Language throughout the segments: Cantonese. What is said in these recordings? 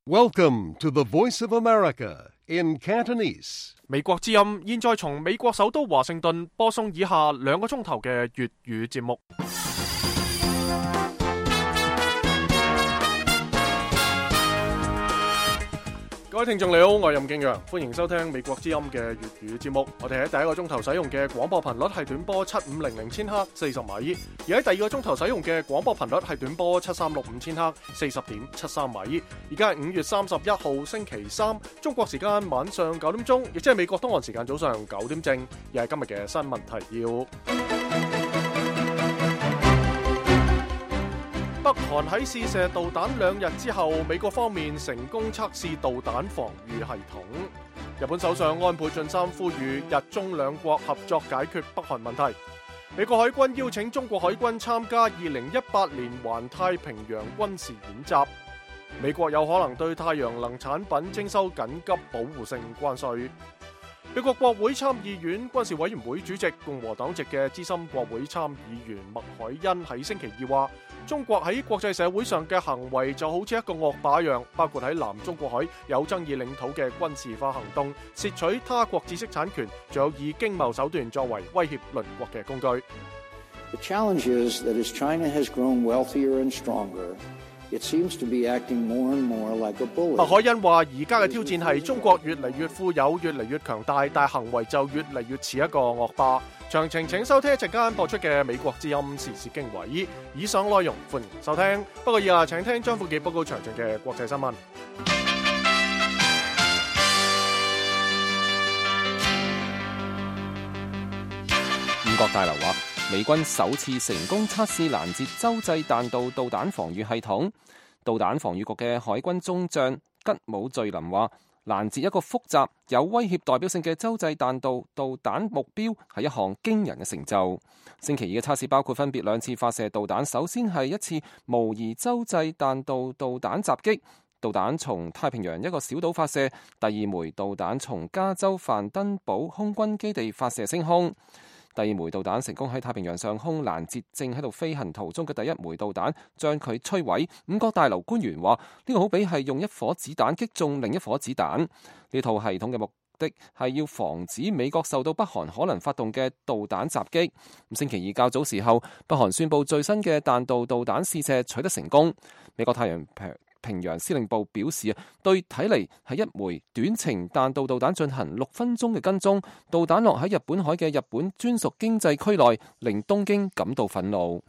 Welcome to the Voice of America in Cantonese. 美國之音現在從美國首都華盛頓播送以下2個鐘頭嘅粵語節目。各位聽眾你好，我係任敬陽，歡迎收聽美國之音嘅粵語節目。我哋喺第一個鐘頭使用嘅廣播頻率係短波7500千赫40米，而喺第二個鐘頭使用嘅廣播頻率係短波7365千赫40.73米。而家係5月31號星期三，中國時間晚上9點鐘，亦即係美國東岸時間早上9點正。而係今日嘅新聞提要。北韓喺試射導彈2日之後，美國方面成功測試導彈防禦系統。日本首相安倍晉三呼籲日中兩國合作解決北韓問題。美國海軍邀請中國海軍參加2018年環太平洋軍事演習。美國有可能對太陽能產品徵收緊急保護性關稅。美國國會參議院軍事委員會主席共和黨籍嘅資深國會參議員麥凱恩喺星期二話，中國喺國際社會上嘅行為就好似一個惡霸一樣，包括喺南中國海有爭議領土嘅軍事化行動、竊取他國知識產權，仲有以經貿手段作為威脅鄰國嘅工具。The challenge is that as China has grown wealthier and stronger, it seems to be acting more and more like a bully. 麥凱恩話：而家嘅挑戰係中國越嚟越富有、越嚟越強大，但行為就越嚟越似一個惡霸。詳情請收聽一陣間播出嘅美國之音時事經緯。以上內容歡迎收聽。不過以下請聽張富傑報告詳盡嘅國際新聞。五角大樓話，美軍首次成功測試攔截洲際彈道導彈防禦系統。導彈防禦局嘅海軍中將吉姆敘林話，攔截一個複雜有威脅代表性嘅洲際彈道導彈目標係一項驚人嘅成就。星期二嘅測試包括分別2次發射導彈，首先係一次模擬洲際彈道導彈襲擊，導彈從太平洋一個小島發射；第二枚導彈從加州范登堡空軍基地發射升空。第二枚導彈成功喺太平洋上空攔截正喺度飛行途中嘅第一枚導彈，將佢摧毀。五角大樓官員話：呢個好比係用一顆子彈擊中另一顆子彈。呢套系統嘅目的係要防止美國受到北韓可能發動嘅導彈襲擊。星期二較早時候，北韓宣布最新嘅彈道導彈試射取得成功。美國太陽平洋司令部表示，對睇嚟係一枚短程彈道導彈進行6分鐘嘅跟蹤，導彈落喺日本海嘅日本專屬經濟區內，令東京感到憤怒。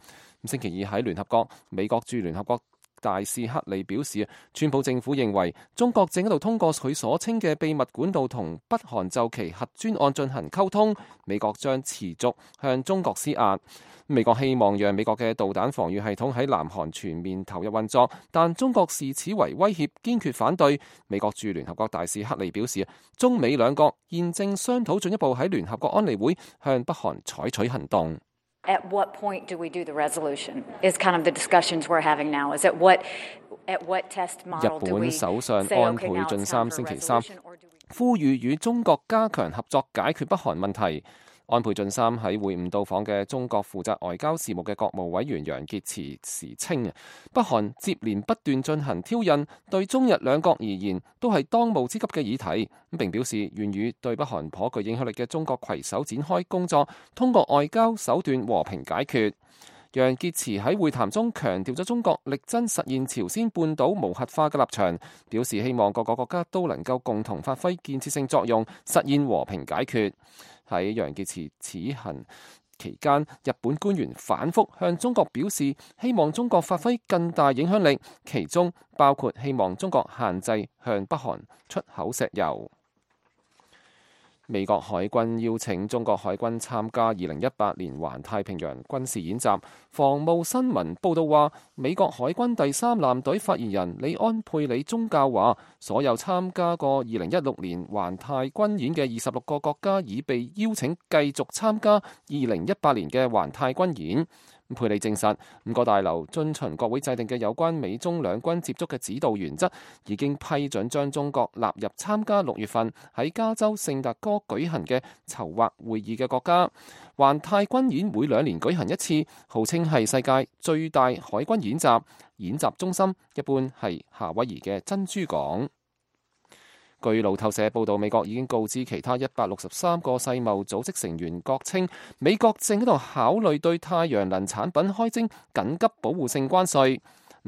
星期二喺聯合國，美國駐聯合國大使克里表示，川普政府認為中國正喺度通過佢所稱嘅秘密管道同北韓就其核專案進行溝通，美國將持續向中國施壓。美國希望讓美國嘅導彈防禦系統喺南韓全面投入運作，但中國視此為威脅，堅決反對。美國駐聯合國大使克里表示，中美兩國現正商討進一步喺聯合國安理會向北韓採取行動。At what point do we do the resolution? Is kind of the discussions we're having now. Is at what test model do we say, 日本首相安倍晉三星期三呼籲與中國加強合作解決北韓問題。安倍晉三喺會晤到訪嘅中國負責外交事務嘅國務委員楊潔篪時稱，北韓接連不斷進行挑釁，對中日兩國而言都係當務之急嘅議題。並表示願與對北韓頗具影響力嘅中國攜手展開工作，通過外交手段和平解決。楊潔篪喺會談中強調咗中國力爭實現朝鮮半島無核化嘅立場，表示希望各個國家都能夠共同發揮建設性作用，實現和平解決。喺楊潔篪此行期間，日本官員反覆向中國表示希望中國發揮更大影響力，其中包括希望中國限制向北韓出口石油。美國海軍邀請中國海軍參加2018年環太平洋軍事演習。防務新聞報道話，美國海軍第3艦隊發言人李安佩里宗教話，所有參加過2016年環太軍演嘅26個國家已被邀請繼續參加2018年嘅環太軍演。佩里證實5個大樓遵循國會制定嘅有關美中兩軍接觸嘅指導原則，已經批准將中國納入參加6月份喺加州聖達哥舉行嘅籌劃會議嘅國家。環太軍演每2年舉行一次，號稱係世界最大海軍演習。而演習中心，一般係夏威夷嘅珍珠港。據路透社報道，美國已經告知其他163個世貿組織成員國稱，美國正喺度考慮對太陽能產品開徵緊急保護性關稅。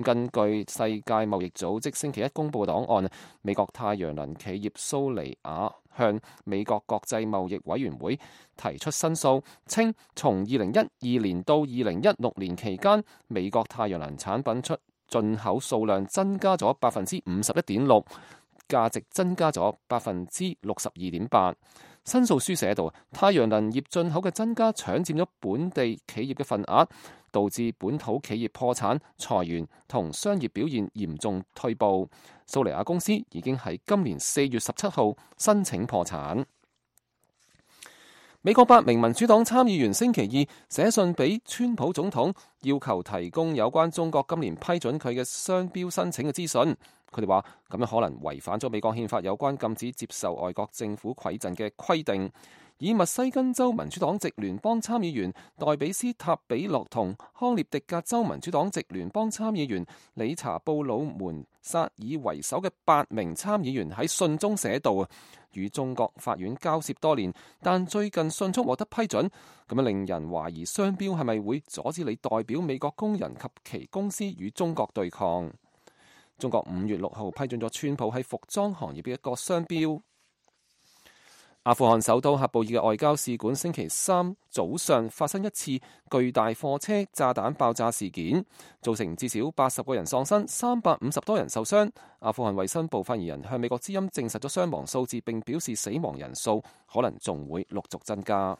根據世界貿易組織星期一公佈嘅檔案，美國太陽能企業蘇尼亞向美國國際貿易委員會提出申訴，稱從2012年到2016年期間，美國太陽能產品進口數量增加咗51.6%，價值增加咗62.8%。申訴書寫到，太陽能業進口嘅增加搶佔咗本地企業嘅份額，導致本土企業破產、裁員同商業表現嚴重退步。蘇尼亞公司已經喺今年4月17號申請破產。美國8名民主黨參議員星期二寫信俾川普總統，要求提供有關中國今年批准佢嘅商標申請嘅資訊。佢哋話咁樣可能違反咗美國憲法有關禁止接受外國政府饋贈嘅規定。以密西根州民主黨籍聯邦參議員代比斯塔比洛同康涅狄格州民主黨籍聯邦參議員理查布魯門薩爾為首嘅8名參議員喺信中寫道，與中國法院交涉多年，但最近迅速獲得批准，咁樣令人懷疑商標係咪會阻止你代表美國工人及其公司與中國對抗。中國5月6號批准咗川普喺服裝行業嘅一個商標。阿富汗首都喀布爾嘅外交使館星期三早上發生一次巨大貨車炸彈爆炸事件，造成至少80個人喪生，350多人受傷。阿富汗衛生部發言人向美國之音證實咗傷亡數字，並表示死亡人數可能仲會陸續增加。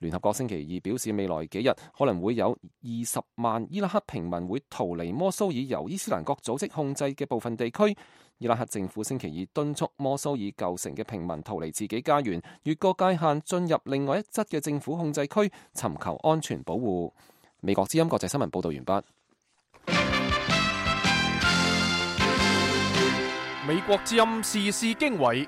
聯合國星期二表示，未來幾日可能會有20萬伊拉克平民會逃離摩蘇爾由伊斯蘭國組織控制嘅部分地區。伊拉克政府星期二敦促摩蘇爾舊城嘅平民逃離自己家園，越過界限進入另外一側嘅政府控制區，尋求安全保護。美國之音國際新聞報道完畢。美國之音時事經緯，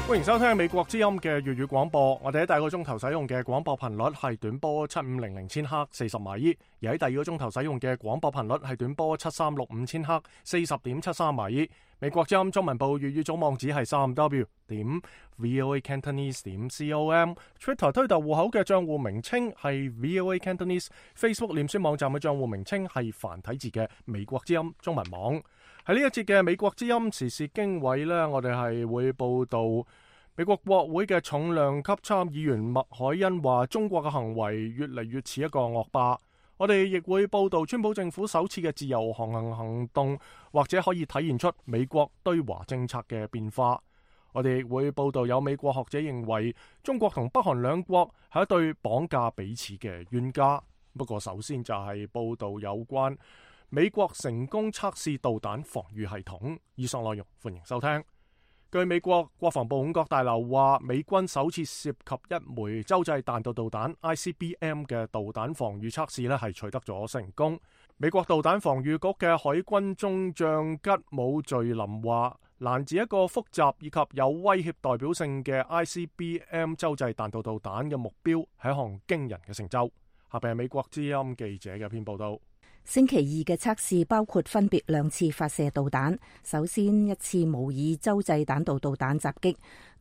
歡迎收聽美國之音嘅粵語廣播。我哋喺第一個鐘頭使用嘅廣播頻率係短波7500千赫40米，而喺第二個鐘頭使用嘅廣播頻率係短波7365千赫40.73米。美國之音中文部粵語總網址係3w.voacantonese.com，Twitter 推特戶口嘅賬戶名稱係 voacantonese，Facebook 臉書網站嘅賬戶名稱係繁體字嘅美國之音中文網。喺呢一節嘅美國之音時事經緯呢，我哋係會報道美國國會嘅重量級參議員麥凱恩話中國嘅行為越嚟越似一個惡霸。我哋亦會報道川普政府首次嘅自由航行行動，或者可以體現出美國對華政策嘅變化。我哋亦會報道有美國學者認為中國同北韓兩國係一對綁架彼此嘅冤家。不過首先就係報道有關美國成功測試導彈防禦系統。以上內容歡迎收聽。據美國國防部五角大樓話，美軍首次涉及一枚洲際彈道導彈 ICBM 嘅導彈防禦測試係取得咗成功。美國導彈防禦局嘅海軍中將吉姆敘林話，攔截一個複雜以及有威脅代表性嘅 ICBM 洲際彈道導彈嘅目標係一項驚人嘅成就。下邊係美國之音記者嘅篇報道。星期二嘅測試包括分別2次發射導彈，首先一次模擬洲際彈道導彈襲擊，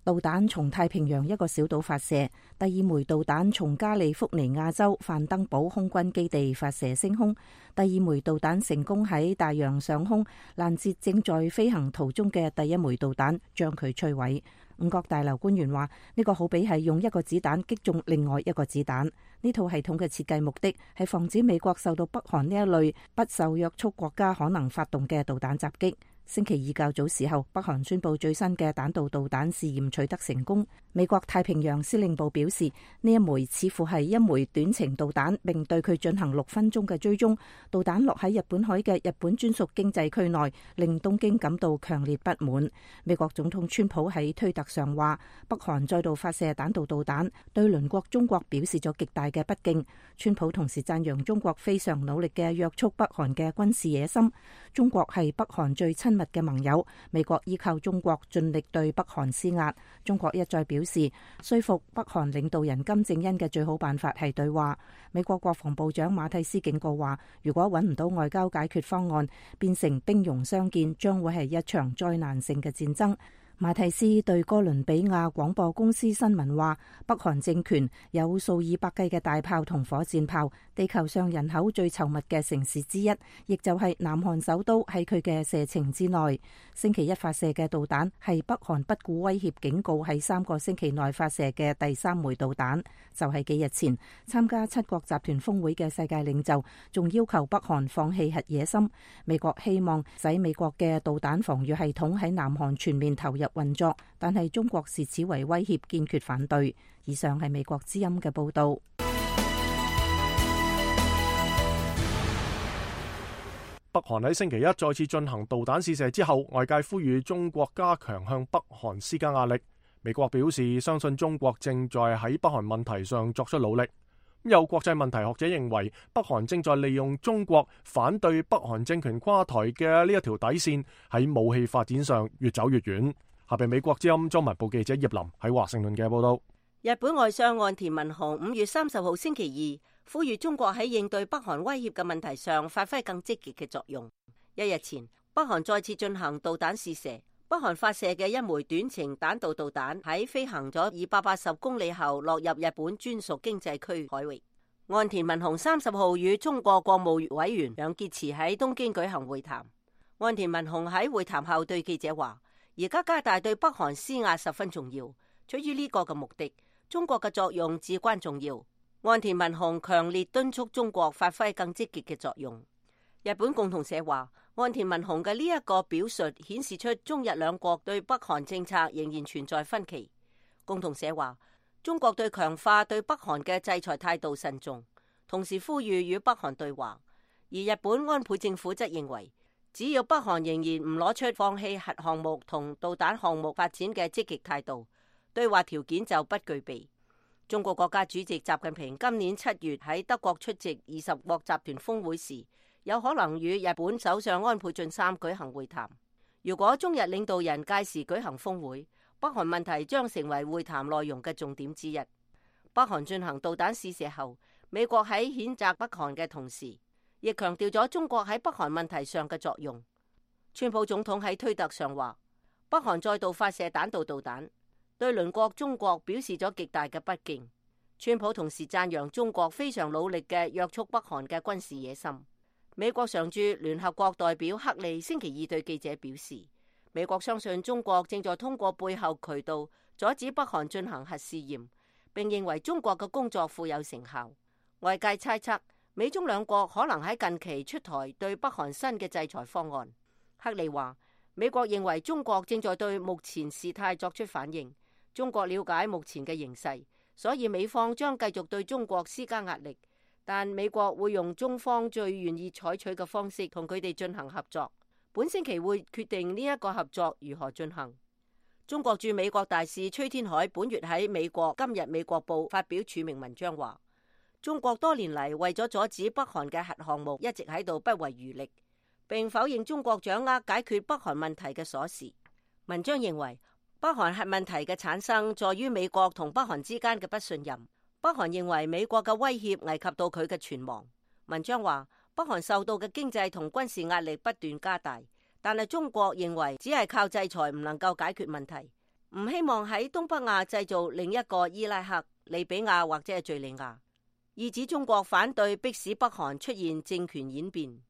導彈從太平洋一個小島發射；第二枚導彈從加利福尼亞州范登堡空軍基地發射升空，第二枚導彈成功喺大洋上空攔截正在飛行途中嘅第一枚導彈，將佢摧毀。五角大樓官員話，呢個好比係用一個子彈擊中另外一個子彈。呢套系統嘅設計目的係防止美國受到北韓呢一類不受約束國家可能發動嘅導彈襲擊。星期二較早時候，北韓宣布最新嘅彈道導彈試驗取得成功。美國太平洋司令部表示，呢一枚似乎係一枚短程導彈，並對佢進行6分鐘嘅追蹤。導彈落喺日本海嘅日本專屬經濟區內，令東京感到強烈不滿。美國總統川普喺推特上話，北韓再度發射彈道導彈，對鄰國中國表示咗極大嘅不敬。川普同時讚揚中國非常努力嘅約束北韓嘅軍事野心。中國係北韓最親密嘅盟友。美國依靠中國盡力對北韓施壓。中國一再表示，說服北韓領導人金正恩嘅最好辦法係對話。美國國防部長馬蒂斯警告話，如果揾唔到外交解決方案，變成兵戎相見，將會係一場災難性嘅戰爭。馬蒂斯對哥倫比亞廣播公司新聞話，北韓政權有數以百計嘅大炮同火箭炮，地球上人口最稠密嘅城市之一，亦就係南韓首都喺佢嘅射程之內。星期一發射嘅導彈係北韓不顧威脅警告喺3個星期內發射嘅第3枚導彈。就係幾日前參加7國集團峰會嘅世界領袖仲要求北韓放棄核野心。美國希望使美國嘅導彈防禦系統喺南韓全面投入運作，但係中國視此為威脅，堅決反對。以上係美國之音嘅報道。北韓喺星期一再次進行導彈試射之後，外界呼籲中國加強向北韓施加壓力。美國表示相信中國正在喺北韓問題上作出努力。有國際問題學者認為，北韓正在利用中國反對北韓政權垮台嘅呢一條底線，喺武器發展上越走越遠。下邊美國之音中文部記者葉林喺華盛頓嘅報道。日本外相岸田文雄5月30號星期二呼籲中國喺應對北韓威脅嘅問題上發揮更積極嘅作用。一日前，北韓再次進行導彈試射。北韓發射嘅一枚短程彈道導彈喺飛行咗280公里後落入日本專屬經濟區海域。岸田文雄30號與中國國務委員楊潔篪喺東京舉行會談。岸田文雄喺會談後對記者話，而家加大對北韓施壓十分重要，出於呢個嘅目的，中國嘅作用至關重要。岸田文雄強烈敦促中國發揮更積極嘅作用。日本共同社話，岸田文雄嘅呢一個表述顯示出中日兩國對北韓政策仍然存在分歧。共同社話，中國對強化對北韓嘅制裁態度慎重，同時呼籲與北韓對話。而日本安倍政府則認為，只要北韓仍然唔攞出放棄核項目同導彈項目發展嘅積極態度，對話條件就不具備。中國國家主席習近平今年7月喺德國出席20國集團峰會時，有可能與日本首相安倍晉三舉行會談。如果中日領導人屆時舉行峰會，北韓問題將成為會談內容嘅重點之一。北韓進行導彈試射後，美國喺譴責北韓嘅同時，亦強調咗中國喺北韓問題上嘅作用。川普總統喺推特上話，北韓再度發射彈道導彈，對鄰國中國表示咗極大嘅不敬。川普同時讚揚中國非常努力嘅約束北韓嘅軍事野心。美國常駐聯合國代表克利星期二對記者表示，美國相信中國正在通過背後渠道阻止北韓進行核試驗，並認為中國嘅工作富有成效。外界猜測，美中兩國可能喺近期出台對北韓新嘅制裁方案。克利話，美國認為中國正在對目前事態作出反應，中國了解目前嘅形勢，所以美方將繼續對中國施加壓力。但美國會用中方最願意採取嘅方式同佢哋進行合作。本星期會決定呢一個合作如何進行。中國駐美國大使崔天凱本月喺美國今日美國報發表署名文章話，中國多年嚟為咗阻止北韓嘅核項目，一直喺度不遺餘力，並否認中國掌握解決北韓問題嘅鎖匙。文章認為，北韓核問題嘅產生在於美國同北韓之間嘅不信任。北韓認為美國嘅威脅危及到佢嘅存亡。文章話，北韓受到嘅經濟同軍事壓力不斷加大，但係中國認為只係靠制裁唔能夠解決問題，唔希望喺東北亞製造另一個伊拉克、利比亞或者係敘利亞。意指中國反對迫使北韓出現政權演變。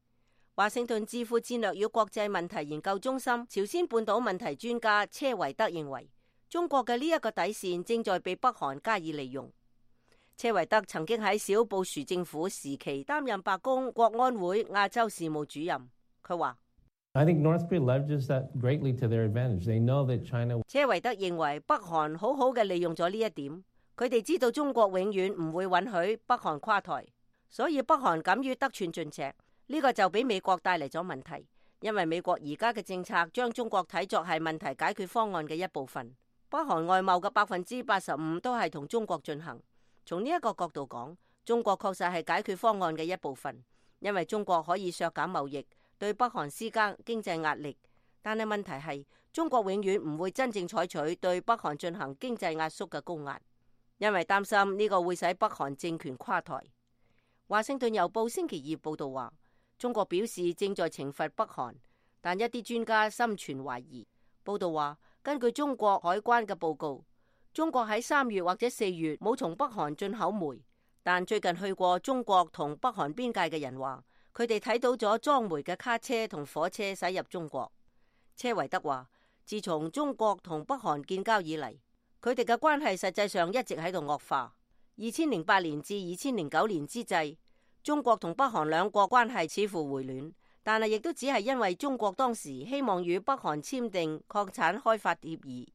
華盛頓智庫戰略與國際問題研究中心朝鮮半島問題專家車維德認為，中國嘅呢一個底線正在被北韓加以利用。車維德曾經喺小布殊政府時期擔任白宮國安會亞洲事務主任。佢話，車維德認為北韓好好嘅利用咗呢一點，佢哋知道中國永遠唔會允許北韓垮台，所以北韓敢於得寸進尺。呢個就俾美國帶嚟咗問題，因為美國而家嘅政策將中國睇作係問題解決方案嘅一部分。北韓外貿嘅85%都係同中國進行。從呢一個角度講，中國確實係解決方案嘅一部分，因為中國可以削減貿易，對北韓施加經濟壓力。但係問題係，中國永遠唔會真正採取對北韓進行經濟壓縮嘅高壓，因為擔心呢個會使北韓政權垮台。華盛頓郵報星期二報道話，中國表示正在懲罰北韓，但一啲專家心存懷疑。報道話，根據中國海關嘅報告，中國喺3月或者4月冇從北韓進口煤，但最近去過中國同北韓邊界嘅人話，佢哋睇到咗裝煤嘅卡車同火車駛入中國。車維德話，自從中國同北韓建交以嚟，佢哋嘅關係實際上一直喺度惡化。2008年至2009年之際，中國同北韓兩國關係似乎回暖，但係亦都只係因為中國當時希望與北韓簽訂礦產開發協議。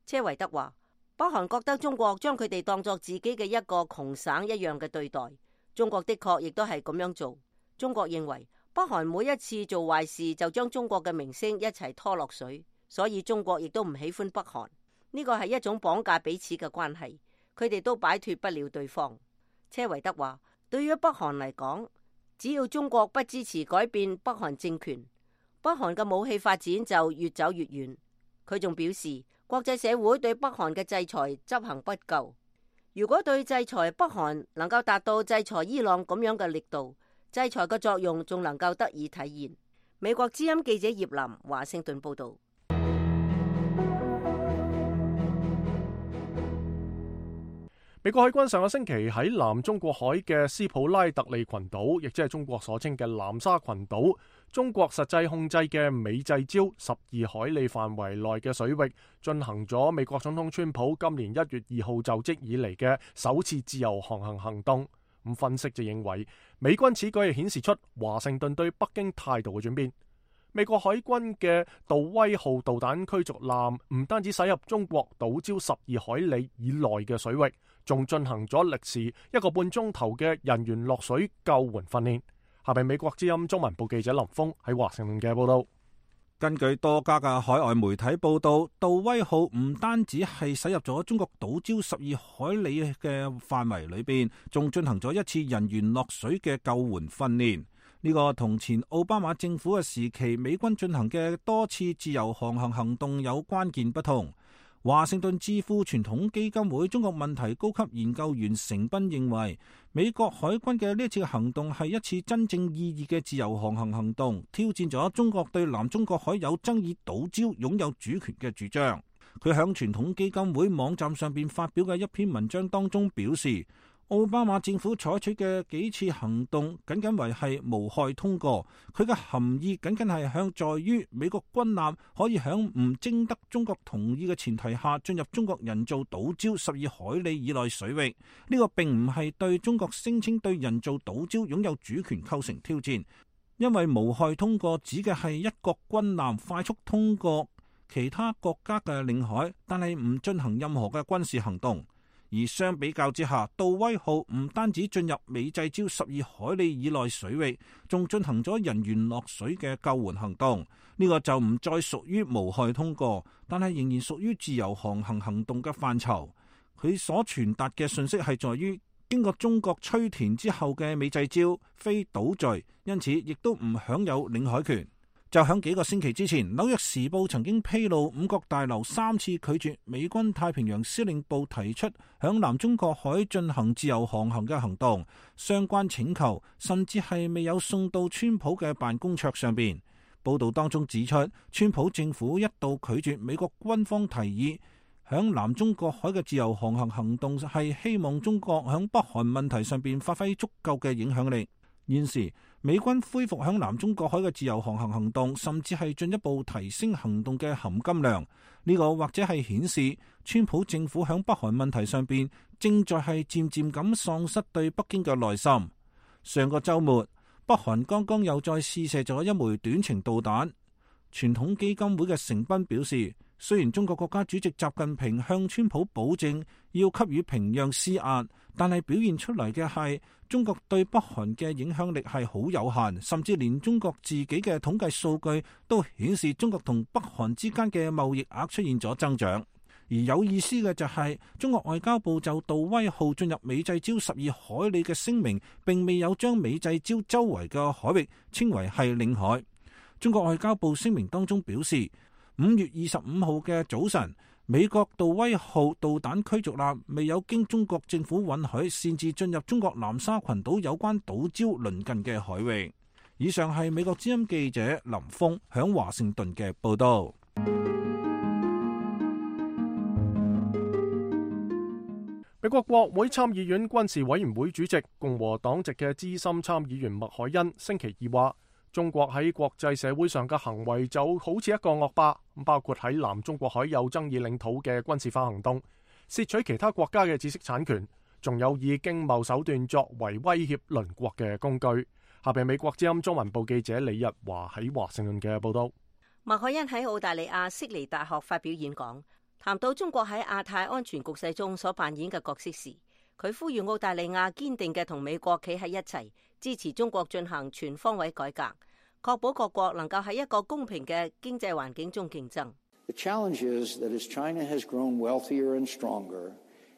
車維德話，北韓覺得中國將佢哋當作自己嘅一個窮省一樣嘅對待，中國的確亦都係咁樣做。中國認為北韓每一次做壞事就將中國嘅名聲一齊拖落水，所以中國亦都唔喜歡北韓。呢個係一種綁架彼此嘅關係，佢哋都擺脫不了對方。車維德話，對於北韓嚟講，只要中國不支持改變北韓政權，北韓嘅武器發展就越走越遠。佢仲表示，國際社會對北韓嘅制裁執行不夠，如果對制裁北韓能夠達到制裁伊朗咁樣嘅力度，制裁嘅作用仲能夠得以體現。美國之音記者葉林華盛頓報道。美國海軍上個星期喺南中國海嘅斯普拉特利群島，亦即係中國所稱嘅南沙群島，中國實際控制嘅美濟礁12海里範圍內嘅水域，進行咗美國總統川普今年1月2號就職以嚟嘅首次自由航行行動。咁分析就認為，美軍此舉係顯示出華盛頓對北京態度嘅轉變。美國海軍嘅杜威號導彈驅逐艦唔單止駛入中國島礁12海里以內嘅水域，仲進行咗歷時1個半鐘頭嘅人員落水救援訓練。下邊美國之音中文部記者林峰喺華盛頓嘅報道。根據多家嘅海外媒體報道，杜威號唔單止係駛入咗中國島礁12海里嘅範圍裏邊，仲進行咗一次人員落水嘅救援訓練。呢個同前奧巴馬政府嘅時期美軍進行嘅多次自由航行行動有關鍵不同。華盛頓智庫傳統基金會中國問題高級研究員成斌認為，美國海軍嘅呢次行動係一次真正意義嘅自由航行行動，挑戰咗中國對南中國海有爭議島礁擁有主權嘅主張。佢響傳統基金會網站上邊發表嘅一篇文章當中表示，奧巴馬政府採取嘅幾次行動僅僅為係無害通過，佢嘅含義僅僅係向在於美國軍艦可以響唔徵得中國同意嘅前提下進入中國人造島礁12海里以內水域。呢個並唔係對中國聲稱對人造島礁擁有主權構成挑戰，因為無害通過指嘅係一國軍艦快速通過其他國家嘅領海，但係唔進行任何嘅軍事行動。而相比較之下，杜威號唔單止進入美濟礁12海里以內水域，仲進行咗人員落水嘅救援行動。呢個就唔再屬於無害通過，但係仍然屬於自由航行行動嘅範疇。佢所傳達嘅信息係在於，經過中國吹填之後嘅美濟礁非島嶼，因此亦都唔享有領海權。就響幾個星期之前，紐約時報曾經披露五角大樓3次拒絕美軍太平洋司令部提出響南中國海進行自由航行嘅行動，相關請求甚至係未有送到川普嘅辦公桌上邊。報道當中指出，川普政府一度拒絕美國軍方提議響南中國海嘅自由航行行動，係希望中國響北韓問題上邊發揮足夠嘅影響力。現時美軍恢復響南中國海嘅自由航行行動，甚至係進一步提升行動嘅含金量。呢個或者係顯示川普政府響北韓問題上邊正在係漸漸咁喪失對北京嘅耐心。上個周末，北韓剛剛又再試射咗一枚短程導彈。傳統基金會嘅成斌表示，雖然中國國家主席習近平向川普保證要給予平壤施壓，但係表現出嚟嘅係中國對北韓嘅影響力係好有限，甚至連中國自己嘅統計數據都顯示中國同北韓之間嘅貿易額出現咗增長。而有意思嘅就係，中國外交部就杜威號進入美濟礁12海里嘅聲明，並未有將美濟礁周圍嘅海域稱為係領海。中國外交部聲明當中表示，5月25號嘅早晨，美國杜威號導彈驅逐艦未有經中國政府允許擅自進入中國南沙群島有關島礁鄰近嘅海域。以上係美國之音記者林峰響華盛頓嘅報道。美國國會參議院軍事委員會主席共和黨籍嘅資深參議員麥凱恩星期二話，中國喺國際社會上嘅行為就好似一個惡霸，包括喺南中國海有爭議領土嘅軍事化行動，竊取其他國家嘅知識產權，仲有以經貿手段作為威脅鄰國嘅工具。下邊美國之音中文部記者李日華喺華盛頓嘅報道。麥凱恩喺澳大利亞悉尼大學發表演講，談到中國喺亞太安全局勢中所扮演嘅角色時，佢呼籲澳大利亞堅定嘅同美國企喺一齊，支持中國進行全方位改革，確保各國能夠喺一個公平嘅經濟環境中競爭。The challenge is that as China has grown wealthier and stronger,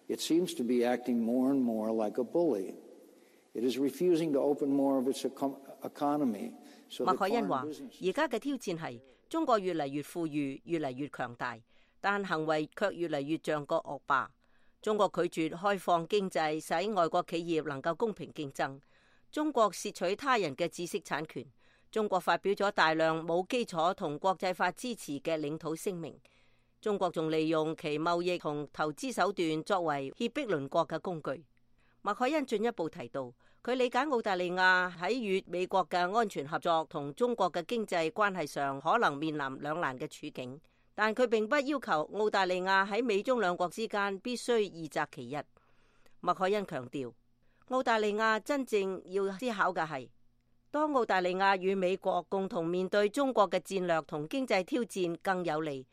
it seems to be acting more and more like a bully. It is refusing to open more of its economy. 麥凱恩話：而家嘅挑戰係中國越嚟越富裕，越嚟越強大，但行為卻越嚟越像個惡霸。中國拒絕開放經濟，使外國企業能夠公平競爭。中國竊取他人嘅知識產權。中國發表咗大量冇基礎同國際法支持嘅領土聲明。中國仲利用其貿易同投資手段作為脅迫鄰國嘅工具。麥凱恩進一步提到，佢理解澳大利亞喺與美國嘅安全合作同中國嘅經濟關係上可能面臨兩難嘅處境，但佢並不要求澳大利亞喺美中兩國之間必須二擇其一。麥凱恩強調，澳大利亞真正要思考嘅係，當澳大利亞與美國共同面對中國嘅戰略同經濟挑戰更有利，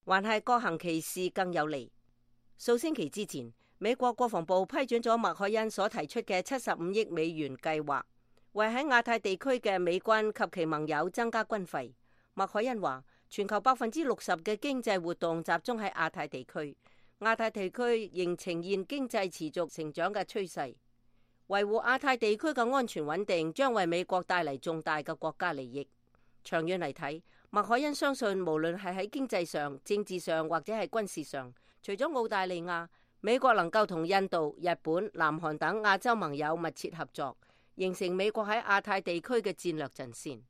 還係各行其事更有利？數星期之前，美國國防部批准咗麥凱恩所提出嘅75億美元計劃，為喺亞太地區嘅美軍及其盟友增加軍費。麥凱恩話，全球60%嘅經濟活動集中喺亞太地區，亞太地區仍呈現經濟持續成長嘅趨勢。維護亞太地區嘅安全穩定將為美國帶嚟重大嘅國家利益。長遠嚟睇，麥凱恩相信無論係喺經濟上、政治上或者係軍事上，除咗澳大利亞，美國能夠同印度、日本、南韓等亞洲盟友密切合作，形成美國喺亞太地區嘅戰略陣線。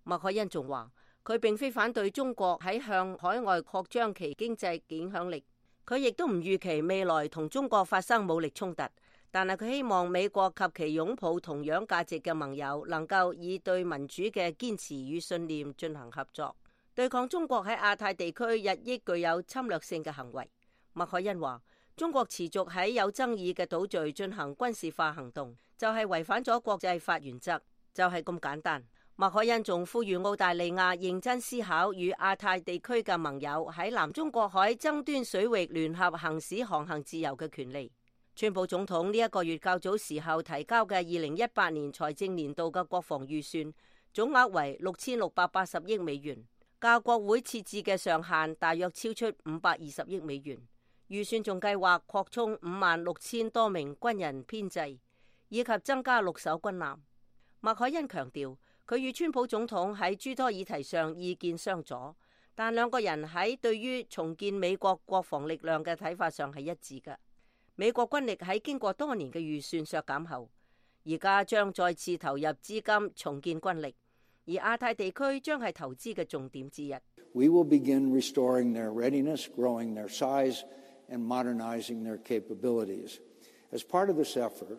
麥凱恩仲話，佢並非反對中國喺向海外擴張其經濟影響力，佢亦都唔預期未來同中國發生武力衝突，但係佢希望美國及其擁抱同樣價值嘅盟友能夠以對民主嘅堅持與信念進行合作，對抗中國喺亞太地區日益具有侵略性嘅行為。麥凱恩話，中國持續喺有爭議嘅島嶼進行軍事化行動，就係違反咗國際法原則，就係咁簡單。麥凱恩仲呼籲澳大利亞認真思考與亞太地區嘅盟友喺南中國海爭端水域聯合行使航行自由嘅權利。川普總統呢一個月較早時候提交嘅2018年財政年度嘅國防預算總額為6680億美元，較國會設置嘅上限大約超出520億美元。預算仲計劃擴充56000多名軍人編制，以及增加6艘軍艦。麥凱恩強調，佢與川普總統喺諸多議題上意見相左，但兩個人喺對於重建美國國防力量嘅睇法上係一致嘅。美國軍力喺經過多年嘅預算削減後，而家將再次投入資金重建軍力，而亞太地區將係投資嘅重點之一。We will begin restoring their readiness, growing their size, and modernizing their capabilities. As part of this effort,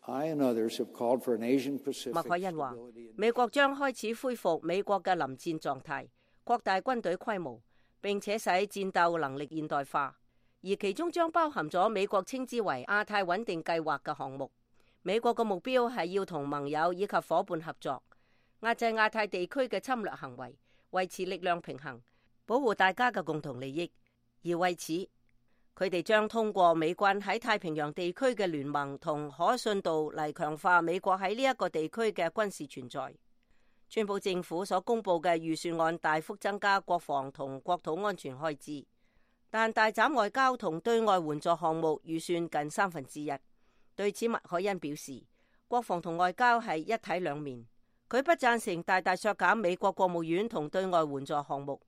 I and others have called for an Asian Pacific. 麥凱恩話，美國將開始恢復美國嘅臨戰狀態，擴大軍隊規模，並且使戰鬥能力現代化，而其中將包含咗美國稱之為亞太穩定計劃嘅項目。美國嘅目標係要同盟友以及伙伴合作，壓制亞太地區嘅侵略行為，維持力量平衡，保護大家嘅共同利益。而為此，佢哋將通過美軍喺太平洋地區嘅聯盟同可信度嚟強化美國喺呢一個地區嘅軍事存在。川普政府所公布嘅預算案大幅增加國防同國土安全開支，但大斬外交同對外援助項目預算近1/3。對此，麥凱恩表示，國防同外交係一體兩面。佢不贊成大大削減美國國務院同對外援助項目。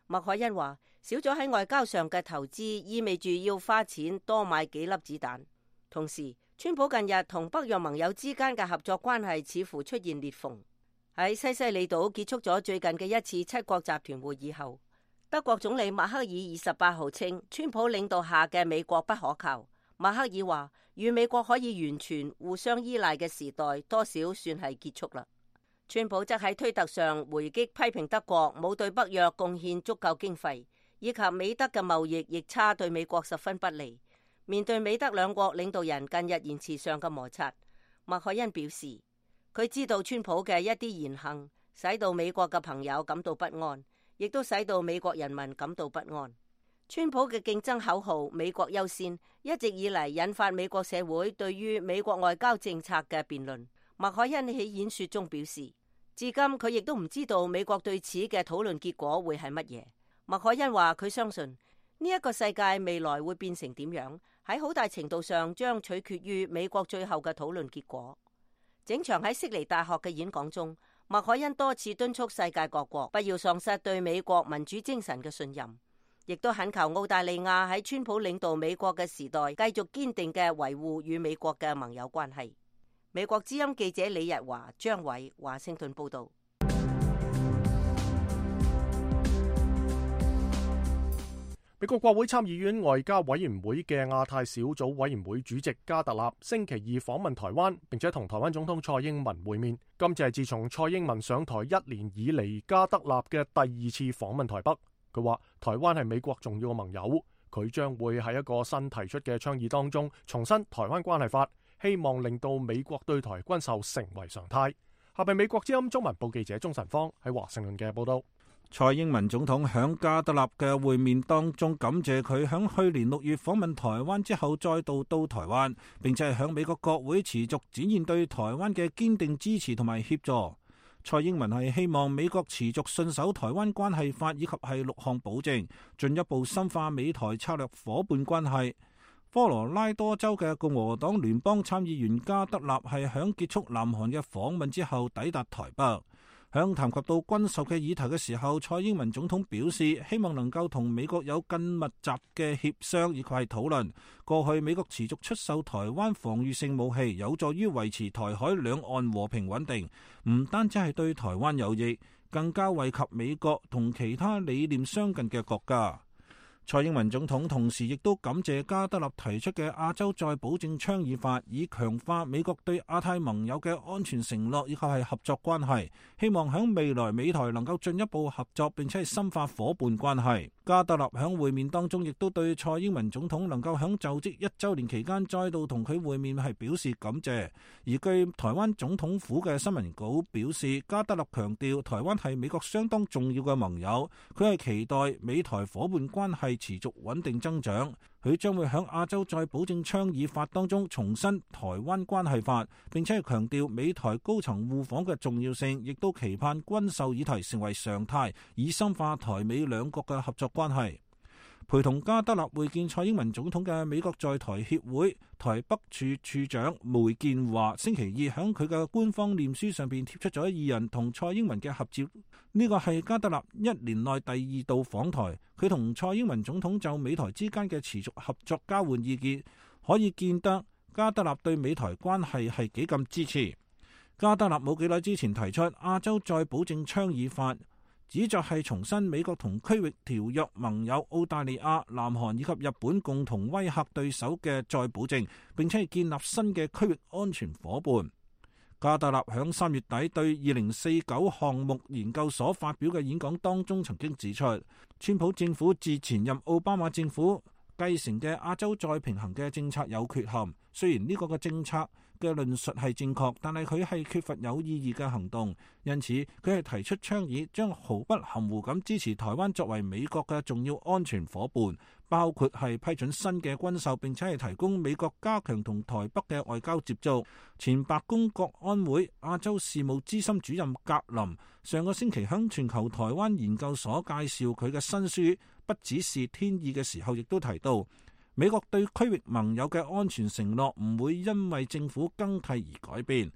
麥凱恩話，少咗喺外交上嘅投資，意味住要花錢多買幾粒子彈。同時，川普近日同北約盟友之間嘅合作關係似乎出現裂縫。喺西西里島結束咗最近嘅一次七國集團會議後，德國總理默克爾28號稱，川普領導下嘅美國不可靠。默克爾話，與美國可以完全互相依賴嘅時代，多少算係結束啦。川普則喺推特上回擊批評德國冇對北約貢獻足夠經費，以及美德嘅貿易逆差對美國十分不利。面對美德兩國領導人近日言辭上嘅摩擦，麥凱恩表示，佢知道川普嘅一啲言行使到美國嘅朋友感到不安，亦都使到美國人民感到不安。川普嘅競爭口號美國優先一直以嚟引發美國社會對於美國外交政策嘅辯論。麥凱恩喺演說中表示，至今佢亦都唔知道美國對此嘅討論結果會係乜嘢。麥凱恩話，佢相信呢一個世界未來會變成點樣，喺好大程度上將取決於美國最後嘅討論結果。整場喺悉尼大學嘅演講中，麥凱恩多次敦促世界各國不要喪失對美國民主精神嘅信任，亦都懇求澳大利亞喺川普領導美國嘅時代繼續堅定嘅維護與美國嘅盟友關係。美國之音記者李日華、張偉，華盛頓報道。美國國會參議院外交委員會嘅亞太小組委員會主席加特納星期二訪問台灣，並且同台灣總統蔡英文會面。今次係自從蔡英文上台1年以嚟，加特納嘅第2次訪問台北。佢話台灣係美國重要嘅盟友，佢將會喺一個新提出嘅倡議當中重申台灣關係法，希望令到美國對台軍售成為常態。下邊美國之音中文部記者鍾晨芳喺華盛頓嘅報道。蔡英文總統響加特納嘅會面當中感謝佢響去年6月訪問台灣之後再度到台灣，並且係響美國國會持續展現對台灣嘅堅定支持同埋協助。蔡英文係希望美國持續信守台灣關係法以及係6項保證，進一步深化美台策略夥伴關係。科羅拉多州嘅共和黨聯邦參議員加德納係響結束南韓嘅訪問之後抵達台北。響談及到軍售嘅議題嘅時候，蔡英文總統表示希望能夠同美國有更密集嘅協商以及係討論。過去美國持續出售台灣防禦性武器，有助於維持台海兩岸和平穩定，唔單止係對台灣有益，更加惠及美國同其他理念相近嘅國家。蔡英文總統同時亦都感謝加德納提出嘅亞洲再保證倡議法，以強化美國對亞太盟友嘅安全承諾以及係合作關係，希望響未來美台能夠進一步合作，並且係深化夥伴關係。加德納響會面當中亦都對蔡英文總統能夠響就職1週年期間再度同佢會面係表示感謝。而據台灣總統府嘅新聞稿表示，加德納強調台灣係美國相當重要嘅盟友，佢係期待美台夥伴關係持續穩定增長。佢將會喺亞洲再保證倡議法當中重申台灣關係法，並且係強調美台高層互訪嘅重要性，亦都期盼軍售議題成為常態，以深化台美兩國嘅合作關係。陪同加德納會見蔡英文總統嘅美國在台協會台北處處長梅建華星期二喺佢嘅官方臉書上邊貼出咗2人同蔡英文嘅合照。呢個係加德納1年內第2度訪台，佢同蔡英文總統就美台之間嘅持續合作交換意見，可以見得加德納對美台關係係幾咁支持。加德納冇幾耐之前提出亞洲再保證倡議法，旨在係重申美國同區域條約盟友澳大利亞、南韓以及日本共同威嚇對手嘅再保證，並且係建立新嘅區域安全夥伴。加德納響3月底對2049項目研究所發表嘅演講當中曾經指出，川普政府自前任奧巴馬政府繼承嘅亞洲再平衡嘅政策有缺陷。雖然呢個嘅政策嘅論述係正確，但係佢係缺乏有意義嘅行動，因此佢係提出倡議，將毫不含糊咁支持台灣作為美國嘅重要安全夥伴，包括係批准新嘅軍售，並且係提供美國加強同台北嘅外交接觸。前白宮國安會亞洲事務資深主任格林上個星期向全球台灣研究所介紹佢嘅新書《不只是天意》嘅時候，亦都提到美國對區域盟友嘅安全承諾唔會因為政府更替而改變。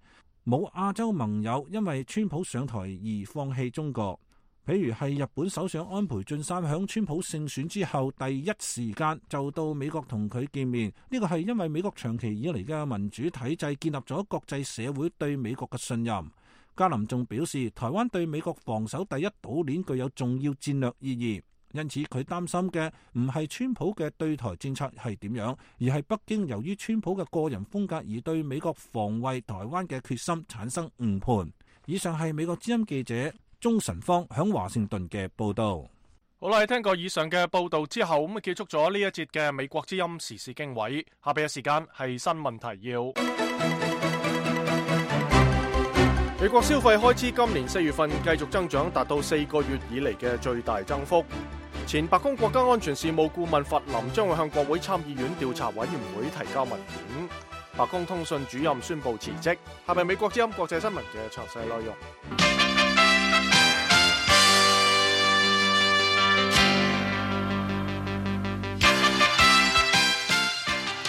冇亞洲盟友因為川普上台而放棄中國。譬如係日本首相安倍晉三響川普勝選之後第一時間就到美國同佢見面，呢個係因為美國長期以嚟嘅民主體制建立咗國際社會對美國嘅信任。加林仲表示，台灣對美國防守第一島鏈具有重要戰略意義，因此佢擔心嘅唔係川普嘅對台政策係點樣，而係北京由於川普嘅個人風格而對美國防衛台灣嘅決心產生誤判。以上係美國之音記者鍾晨芳響華盛頓嘅報道。好啦，聽過以上嘅報道之後，咁結束咗呢一節嘅美國之音時事經緯。下邊嘅時間係新聞提要。美國消費開支今年4月份繼續增長，達到4個月以嚟嘅最大增幅。前白宮國家安全事務顧問弗林將會向國會參議院調查委員會提交文件。白宮通訊主任宣布辭職。下邊美國之音國際新聞嘅詳細內容。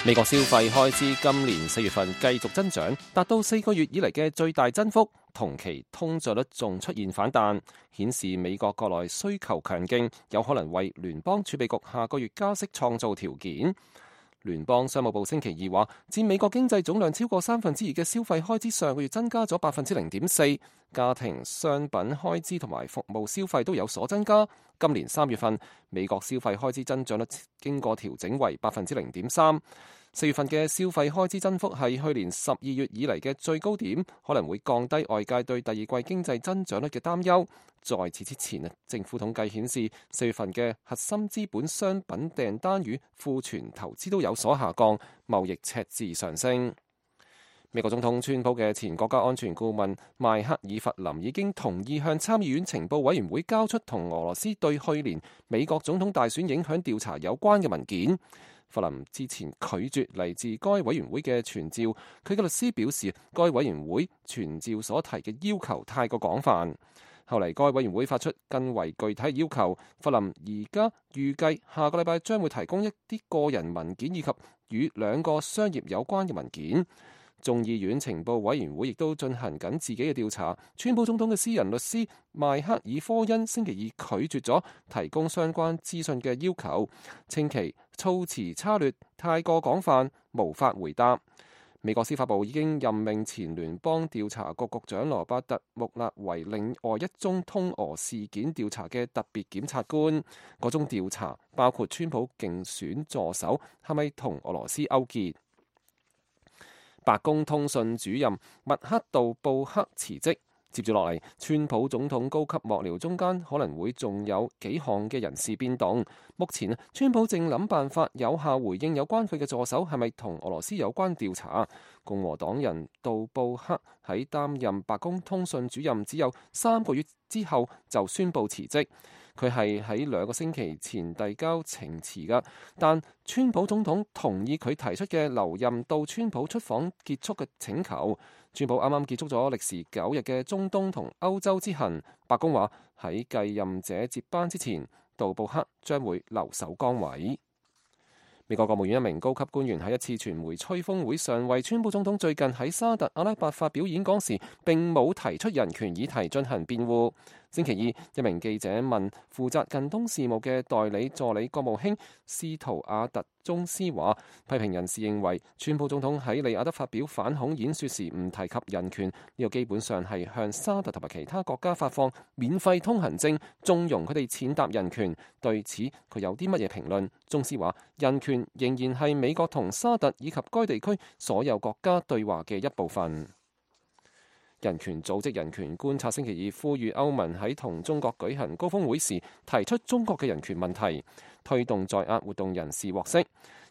美國消費開支今年4月份繼續增長，達到4個月以嚟嘅最大增幅，同期通脹率仲出現反彈，顯示美國國內需求強勁，有可能為聯邦儲備局下個月加息創造條件。聯邦商務部星期二話，佔美國經濟總量超過2/3嘅消費開支上個月增加咗0.4%，家庭商品開支同埋服務消費都有所增加。今年3月份，美國消費開支增長率經過調整為0.3%。4月份嘅消費開支增幅係去年12月以嚟嘅最高點，可能會降低外界對第二季經濟增長率嘅擔憂。在此之前，政府統計顯示4月份嘅核心資本商品訂單與庫存投資都有所下降，貿易赤字上升。美國總統川普嘅前國家安全顧問邁克爾弗林已經同意向參議院情報委員會交出同俄羅斯對去年美國總統大選影響調查有關嘅文件。弗林之前拒絕嚟自該委員會嘅傳召，佢嘅律師表示，該委員會傳召所提嘅要求太過廣泛。後嚟該委員會發出更為具體要求，弗林而家預計下個禮拜將會提供一啲個人文件以及與2個商業有關嘅文件。眾議院情報委員會亦都進行緊自己嘅調查。川普總統嘅私人律師邁克爾科恩星期二拒絕咗提供相關資訊嘅要求，稱其措辭差劣、太過廣泛，無法回答。美國司法部已經任命前聯邦調查局局長羅伯特·穆勒為另外一宗通俄事件調查嘅特別檢察官。嗰宗調查包括川普競選助手係咪同俄羅斯勾結。白宮通訊主任麥克道布克辭職，接住落嚟，川普總統高級幕僚中間可能會仲有幾項嘅人事變動。目前，川普正諗辦法有效回應有關佢嘅助手係咪同俄羅斯有關調查。共和黨人道布克喺擔任白宮通訊主任只有3個月之後就宣布辭職。佢係喺2個星期前遞交請辭㗎，但川普總統同意佢提出嘅留任到川普出訪結束嘅請求。川普啱啱結束咗歷時9日嘅中東同歐洲之行，白宮話喺繼任者接班之前，道布克將會留守崗位。美國國務院一名高級官員喺一次傳媒吹風會上為川普總統最近喺沙特阿拉伯發表演講時並冇提出人權議題進行辯護。星期二，一名記者問負責近東事務嘅代理助理國務卿斯圖亞特宗斯話，批評人士認為川普總統喺利雅得發表反恐演說時唔提及人權，呢個基本上係向沙特同埋其他國家發放免費通行證，縱容佢哋踐踏人權。對此佢有啲乜嘢評論？宗斯話，人權仍然係美國同沙特以及該地區所有國家對話嘅一部分。人權組織人權觀察星期二呼籲歐盟喺同中國舉行高峰會時提出中國嘅人權問題，推動在押活動人士獲釋。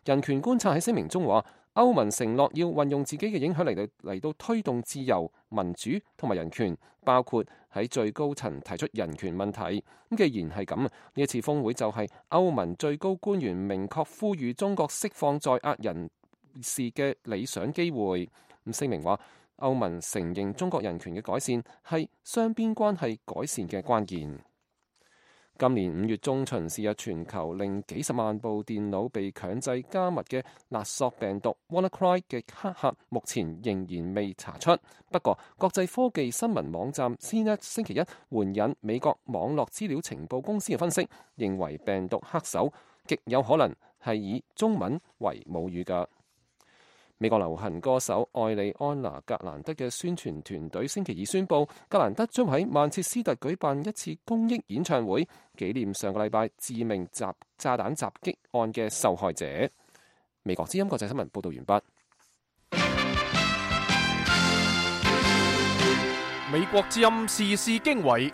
人權觀察喺聲明中話，歐盟承諾要運用自己嘅影響嚟到推動自由、民主同埋人權，包括喺最高層提出人權問題。既然係咁，呢一次峰會就係歐盟最高官員明確呼籲中國釋放在押人士嘅理想機會。聲明話，歐盟承認中國人權嘅改善係雙邊關係改善嘅關鍵。今年5月中旬是日全球令幾十萬部電腦被強制加密嘅勒索病毒 WannaCry 嘅黑客，目前仍然未查出。不過，國際科技新聞網站 CNET 星期一援引美國網絡資料情報公司嘅分析，認為病毒黑手極有可能係以中文為母語㗎。美國流行歌手艾莉安娜格蘭德嘅宣傳團隊星期二宣布，格蘭德將喺曼徹斯特舉辦一次公益演唱會，紀念上個禮拜致命炸彈襲擊案嘅受害者。美國之音國際新聞報道完畢。美國之音時事經緯。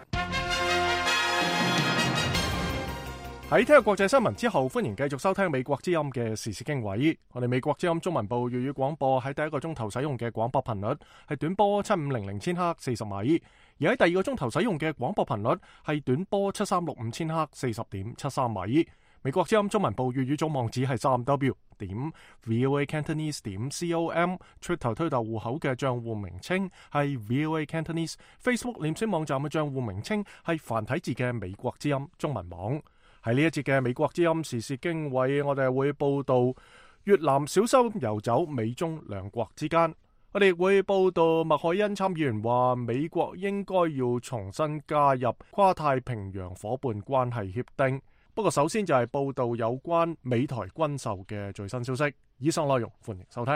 喺聽日國際新聞之後，歡迎繼續收聽美國之音嘅時事經緯。我哋美國之音中文部粵語廣播喺第一個鐘頭使用嘅廣播頻率係短波7500千赫40米，而喺第二個鐘頭使用嘅廣播頻率係短波7365千赫40.73米。美國之音中文部粵語總網址係3w.voacantonese.com， Twitter 推特戶口嘅賬戶名稱係 VOA Cantonese， Facebook 臉書網站嘅賬戶名稱係繁體字嘅美國之音中文網。喺呢一節嘅美國之音時事經緯，我哋會報道越南小心游走美中兩國之間。我哋亦會報道麥凱恩參議員話美國應該要重新加入跨太平洋夥伴關係協定。不過首先就係報道有關美台軍售嘅最新消息。以上內容歡迎收聽。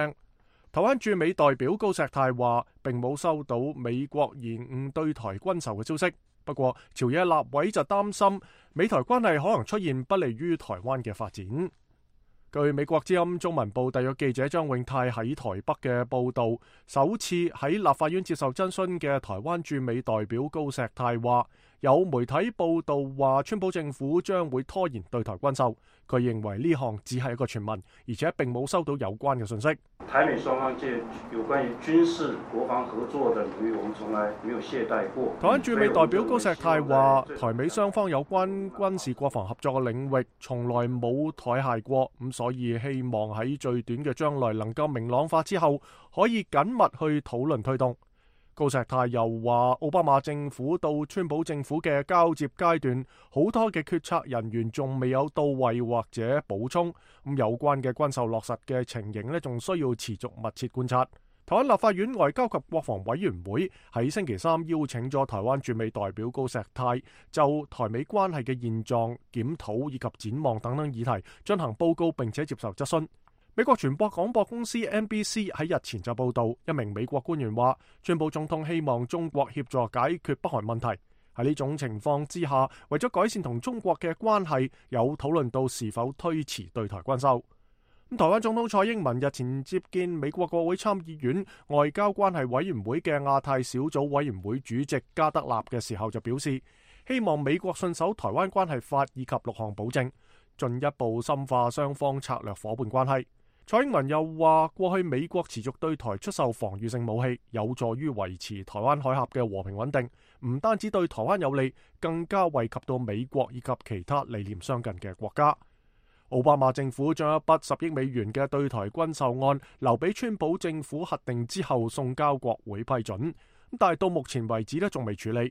台灣駐美代表高石泰話並冇收到美國延誤對台軍售嘅消息。不過朝野立委就擔心美台關係可能出現不利於台灣嘅發展。據美國之音中文部特約記者張永泰喺台北嘅報道，首次喺立法院接受質詢嘅台灣駐美代表高石泰話，有媒體報道話川普政府將會拖延對台軍售，佢認為呢項只係一個傳聞，而且並冇收到有關嘅信息。台美雙方界有關於軍事國防合作的領域，我們從來沒有懈怠過。台灣駐美代表高石泰話，台美雙方有關軍事國防合作嘅領域，從來冇怠懈過，咁所以希望喺最短嘅將來能夠明朗化之後，可以緊密去討論推動。高石泰又話，奧巴馬政府到川普政府嘅交接階段，好多嘅決策人員仲未有到位或者補充，咁有關嘅軍售落實嘅情形呢，仲需要持續密切觀察。台灣立法院外交及國防委員會喺星期三邀請咗台灣駐美代表高石泰就台美關係嘅現狀、檢討以及展望等等議題進行報告，並且接受質詢。美國傳播廣播公司 NBC 喺日前就報道，一名美國官員話，川普總統希望中國協助解決北韓問題。喺呢種情況之下，為咗改善同中國嘅關係，有討論到是否推遲對台軍售。台灣總統蔡英文日前接見美國國會參議院外交關係委員會嘅亞太小組委員會主席加德納嘅時候就表示，希望美國信守台灣關係法以及6項保證，進一步深化雙方策略夥伴關係。蔡英文又話，過去美國持續對台出售防禦性武器，有助於維持台灣海峽嘅和平穩定，唔單止對台灣有利，更加惠及到美國以及其他理念相近嘅國家。奧巴馬政府將一筆10億美元嘅對台軍售案留俾川普政府核定之後送交國會批准，但係到目前為止仲未處理。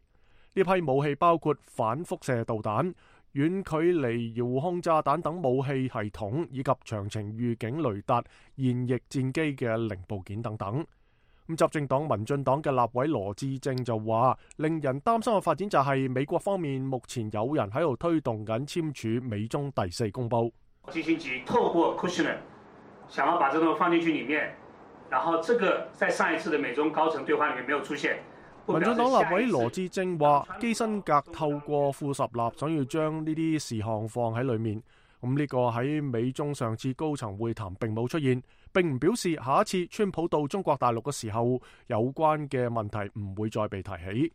呢批武器包括反輻射導彈、遠距離遙控炸彈等武器系統，以及長程預警雷達、現役戰機嘅零部件等等。執政黨民進黨嘅立委羅致政就話，令人擔心嘅發展就係美國方面目前有人喺度推動緊簽署美中第4公報。基辛格透過 Kushner 想要把這個放進去裡面，然後這個在上一次的美中高層對話裡面沒有出現。民進黨立委羅致政話，基辛格透過副十立想要將呢啲事項放喺裡面，咁呢個喺美中上次高層會談並冇出現，並唔表示下一次川普到中國大陸嘅時候，有關嘅問題唔會再被提起。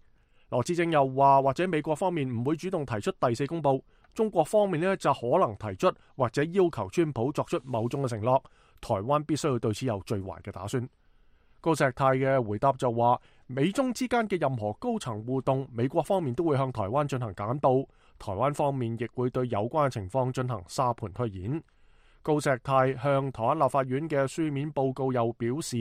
羅致政又話，或者美國方面唔會主動提出第4公報，中國方面呢就可能提出或者要求川普作出某種嘅承諾，台灣必須要對此有最壞嘅打算。高石泰嘅回答就話，美中之間嘅任何高層互動，美國方面都會向台灣進行簡報，台灣方面亦會對有關嘅情況進行沙盤推演。高石泰向台灣立法院嘅書面報告又表示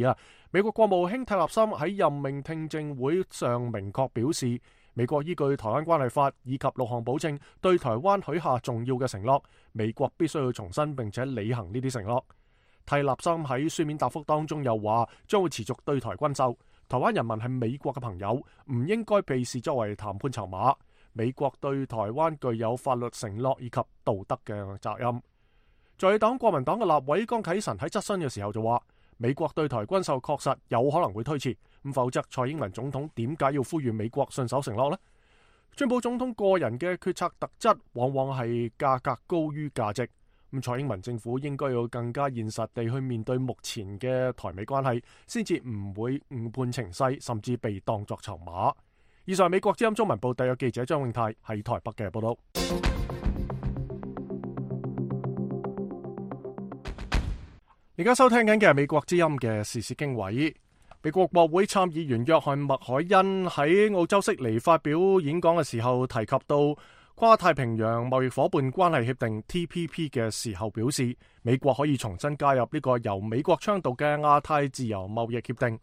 美國國務卿泰勒森喺任命聽證會上明確表示，美國依據台灣關係法以及6項保證對台灣許下重要嘅承諾，美國必須要重申並且履行呢啲承諾。蒂勒森喺書面答覆當中又話，將會持續對台軍售。台灣人民係美國嘅朋友，唔應該被視作為談判籌碼。美國對台灣具有法律承諾以及道德嘅責任。在野黨國民黨嘅立委江啟臣喺質詢嘅時候就話，美國對台軍售確實有可能會推遲，咁否則蔡英文總統點解要呼籲美國信守承諾呢？川普總統個人嘅決策特質往往係價格高於價值，咁蔡英文政府應該要更加現實地去面對目前嘅台美關係，先至唔會誤判情勢，甚至被當作籌碼。以上係美國之音中文部特約記者張永泰喺台北嘅報道。而家收聽緊嘅係美國之音嘅時事經緯。美國國會參議員約翰麥凱恩喺澳洲悉尼發表演講嘅時候，提及到跨太平洋貿易夥伴關係協定 TPP 嘅時候，表示美國可以重新加入呢個由美國倡導嘅亞太自由貿易協定。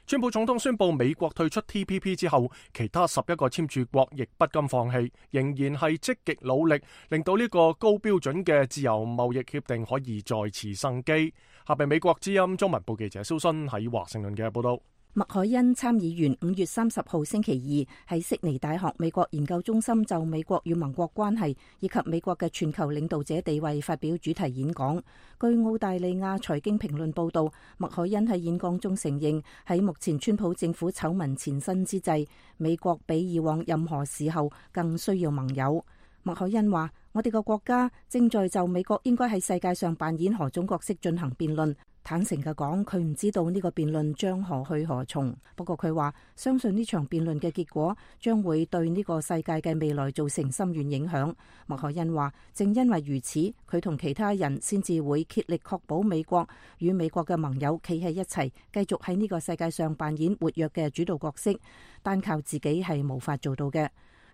川普總統宣布美國退出 TPP 之後，其他11個簽署國亦不甘放棄，仍然係積極努力，令到呢個高標準嘅自由貿易協定可以再次生機。下邊美國之音中文部記者蕭新喺華盛頓嘅報道。麥凱恩參議員5月30號星期二喺悉尼大學美國研究中心就美國與盟國關係以及美國嘅全球領導者地位發表主題演講。據澳大利亞財經評論報道，麥凱恩喺演講中承認，喺目前川普政府醜聞纏身之際，美國比以往任何時候更需要盟友。麥凱恩話：我哋個國家正在就美國應該喺世界上扮演何種角色進行辯論。坦誠嘅講，佢唔知道呢個辯論將何去何從。不過佢話相信呢場辯論嘅結果將會對呢個世界嘅未來造成深遠影響。麥凱恩話，正因為如此，佢同其他人先至會竭力確保美國與美國嘅盟友企喺一齊，繼續喺呢個世界上扮演活躍嘅主導角色。單靠自己係無法做到嘅。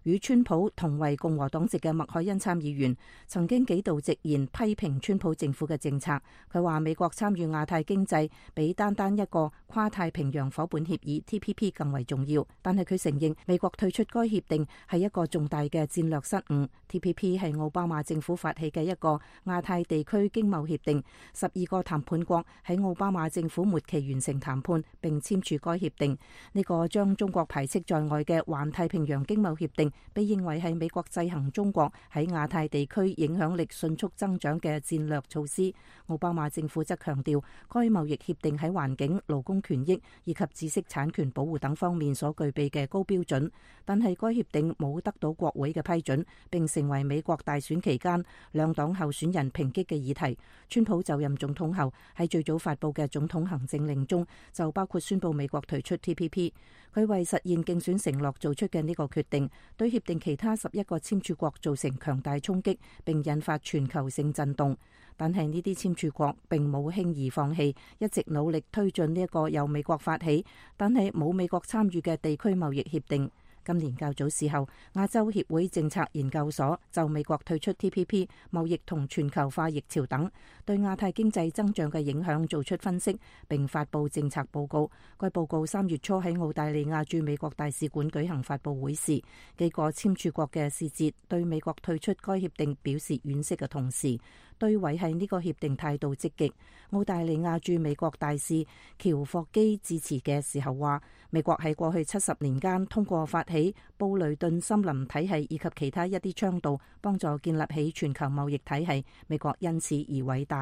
與川普同為共和黨籍嘅麥凱恩參議員曾經幾度直言批評川普政府嘅政策。佢話美國參與亞太經濟比單單一個跨太平洋夥伴協議 TPP 更為重要，但係佢承認美國退出該協定係一個重大嘅戰略失誤。TPP 係奧巴馬政府發起嘅一個亞太地區經貿協定，12個談判國喺奧巴馬政府末期完成談判並簽署該協定。呢個將中國排斥在外嘅環太平洋經貿協定被認為係美國制衡中國喺亞太地區影響力迅速增長嘅戰略措施。奧巴馬政府則強調，該貿易協定喺環境、勞工權益以及知識產權保護等方面所具備嘅高標準，但係該協定冇得到國會嘅批准，並成為美國大選期間兩黨候選人抨擊嘅議題。川普就任總統後喺最早發布嘅總統行政令中就包括宣布美國退出 TPP。佢為實現競選承諾做出嘅呢個決定，對協定其他11個簽署國造成強大衝擊，並引發全球性震動。但係呢啲簽署國並冇輕易放棄，一直努力推進呢一個由美國發起，但係冇美國參與嘅地區貿易協定。今年較早時候，亞洲協會政策研究所就美國退出 TPP、貿易同全球化疫潮等對亞太經濟增長嘅影響做出分析，並發布政策報告。該報告3月初喺澳大利亞駐美國大使館舉行發布會時，幾個簽署國嘅使節對美國退出該協定表示惋惜嘅同時，對維繫呢個協定態度積極。澳大利亞駐美國大使喬霍基致辭嘅時候話，美國喺過去70年間通過發起布雷頓森林體系以及其他一啲倡導，幫助建立起全球貿易體系，美國因此而偉大。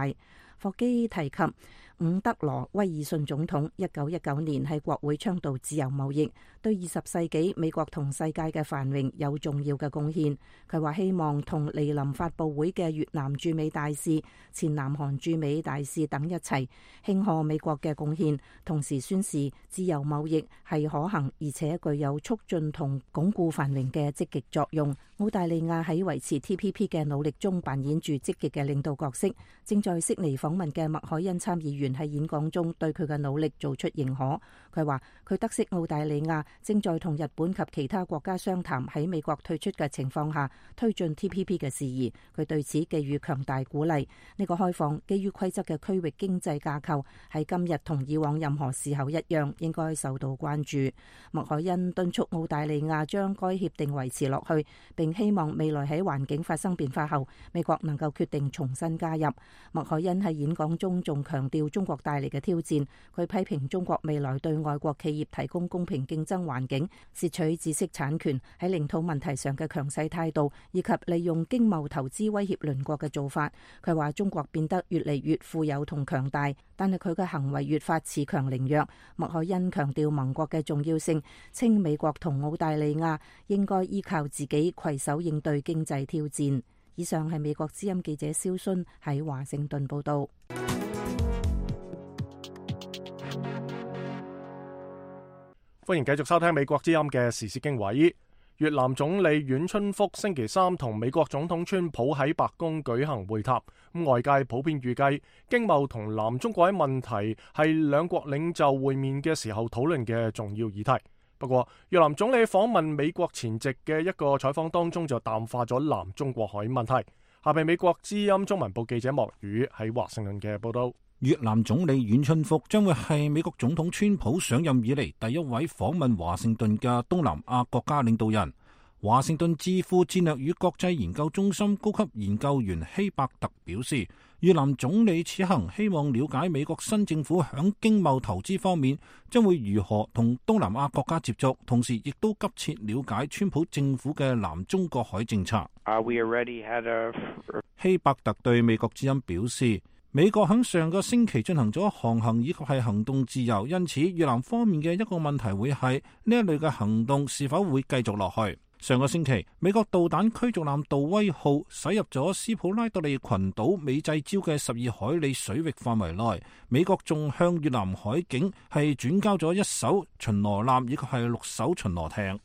霍基提及伍德羅威爾遜總統1919年喺國會倡導自由貿易，對20世紀美國同世界嘅繁榮有重要嘅貢獻。佢話希望同莅臨發佈會嘅越南駐美大使、前南韓駐美大使等一齊慶賀美國嘅貢獻，同時宣示自由貿易係可行而且具有促進同鞏固繁榮嘅積極作用。澳大利亞喺維持 TPP 嘅努力中扮演住積極嘅領導角色，正在悉尼訪問嘅麥凱恩參議員喺演講中對佢嘅努力做出認可。佢話佢得悉澳大利亞正在同日本及其他國家商談喺美國退出嘅情況下推進 TPP 嘅事宜，佢對此寄予強大鼓勵。呢個開放基於規則嘅區域經濟架構喺今日同以往任何時候一樣應該受到關注。麥凱恩敦促澳大利亞將該協定維持落去，並希望未來喺環境發生變化後，美國能夠決定重新加入。麥凱恩喺演講中仲強調中國帶嚟嘅挑戰，佢批評中國未來對外國企業提供公平競爭環境、竊取知識產權、喺領土問題上嘅強勢態度，以及利用經貿投資威脅鄰國嘅做法。佢話中國變得越嚟越富有同強大，但係佢嘅行為越發恃強凌弱。麥凱恩強調盟國嘅重要性，稱美國同澳大利亞應該依靠自己攜手應對經濟挑戰。以上係美國之音記者蕭순喺華盛頓報道。歡迎繼續收聽美國之音嘅時事經緯。越南總理阮春福星期三同美國總統川普喺白宮舉行會談，外界普遍預計經貿同南中國問題係兩國領袖會面嘅時候討論嘅重要議題。不過，越南總理訪問美國前夕嘅一個採訪當中就淡化咗南中國海問題。下邊美國之音中文部記者莫宇喺華盛頓嘅報道。越南總理阮春福將會係美國總統川普上任以嚟第一位訪問華盛頓嘅東南亞國家領導人。華盛頓智庫戰略與國際研究中心高級研究員希伯特表示，越南總理此行希望了解美國新政府響經貿投資方面將會如何同東南亞國家接觸，同時亦都急切了解川普政府嘅南中國海政策。希伯特對美國之音表示，美國響上個星期進行咗航行以及係行動自由，因此越南方面嘅一個問題會係呢一類嘅行動是否會繼續落去。上個星期，美國導彈驅逐艦杜威號駛入咗斯普拉多利群島美濟礁嘅12海里水域範圍內，美國仲向越南海警係轉交咗1艘巡邏艦以及係6艘巡邏艇。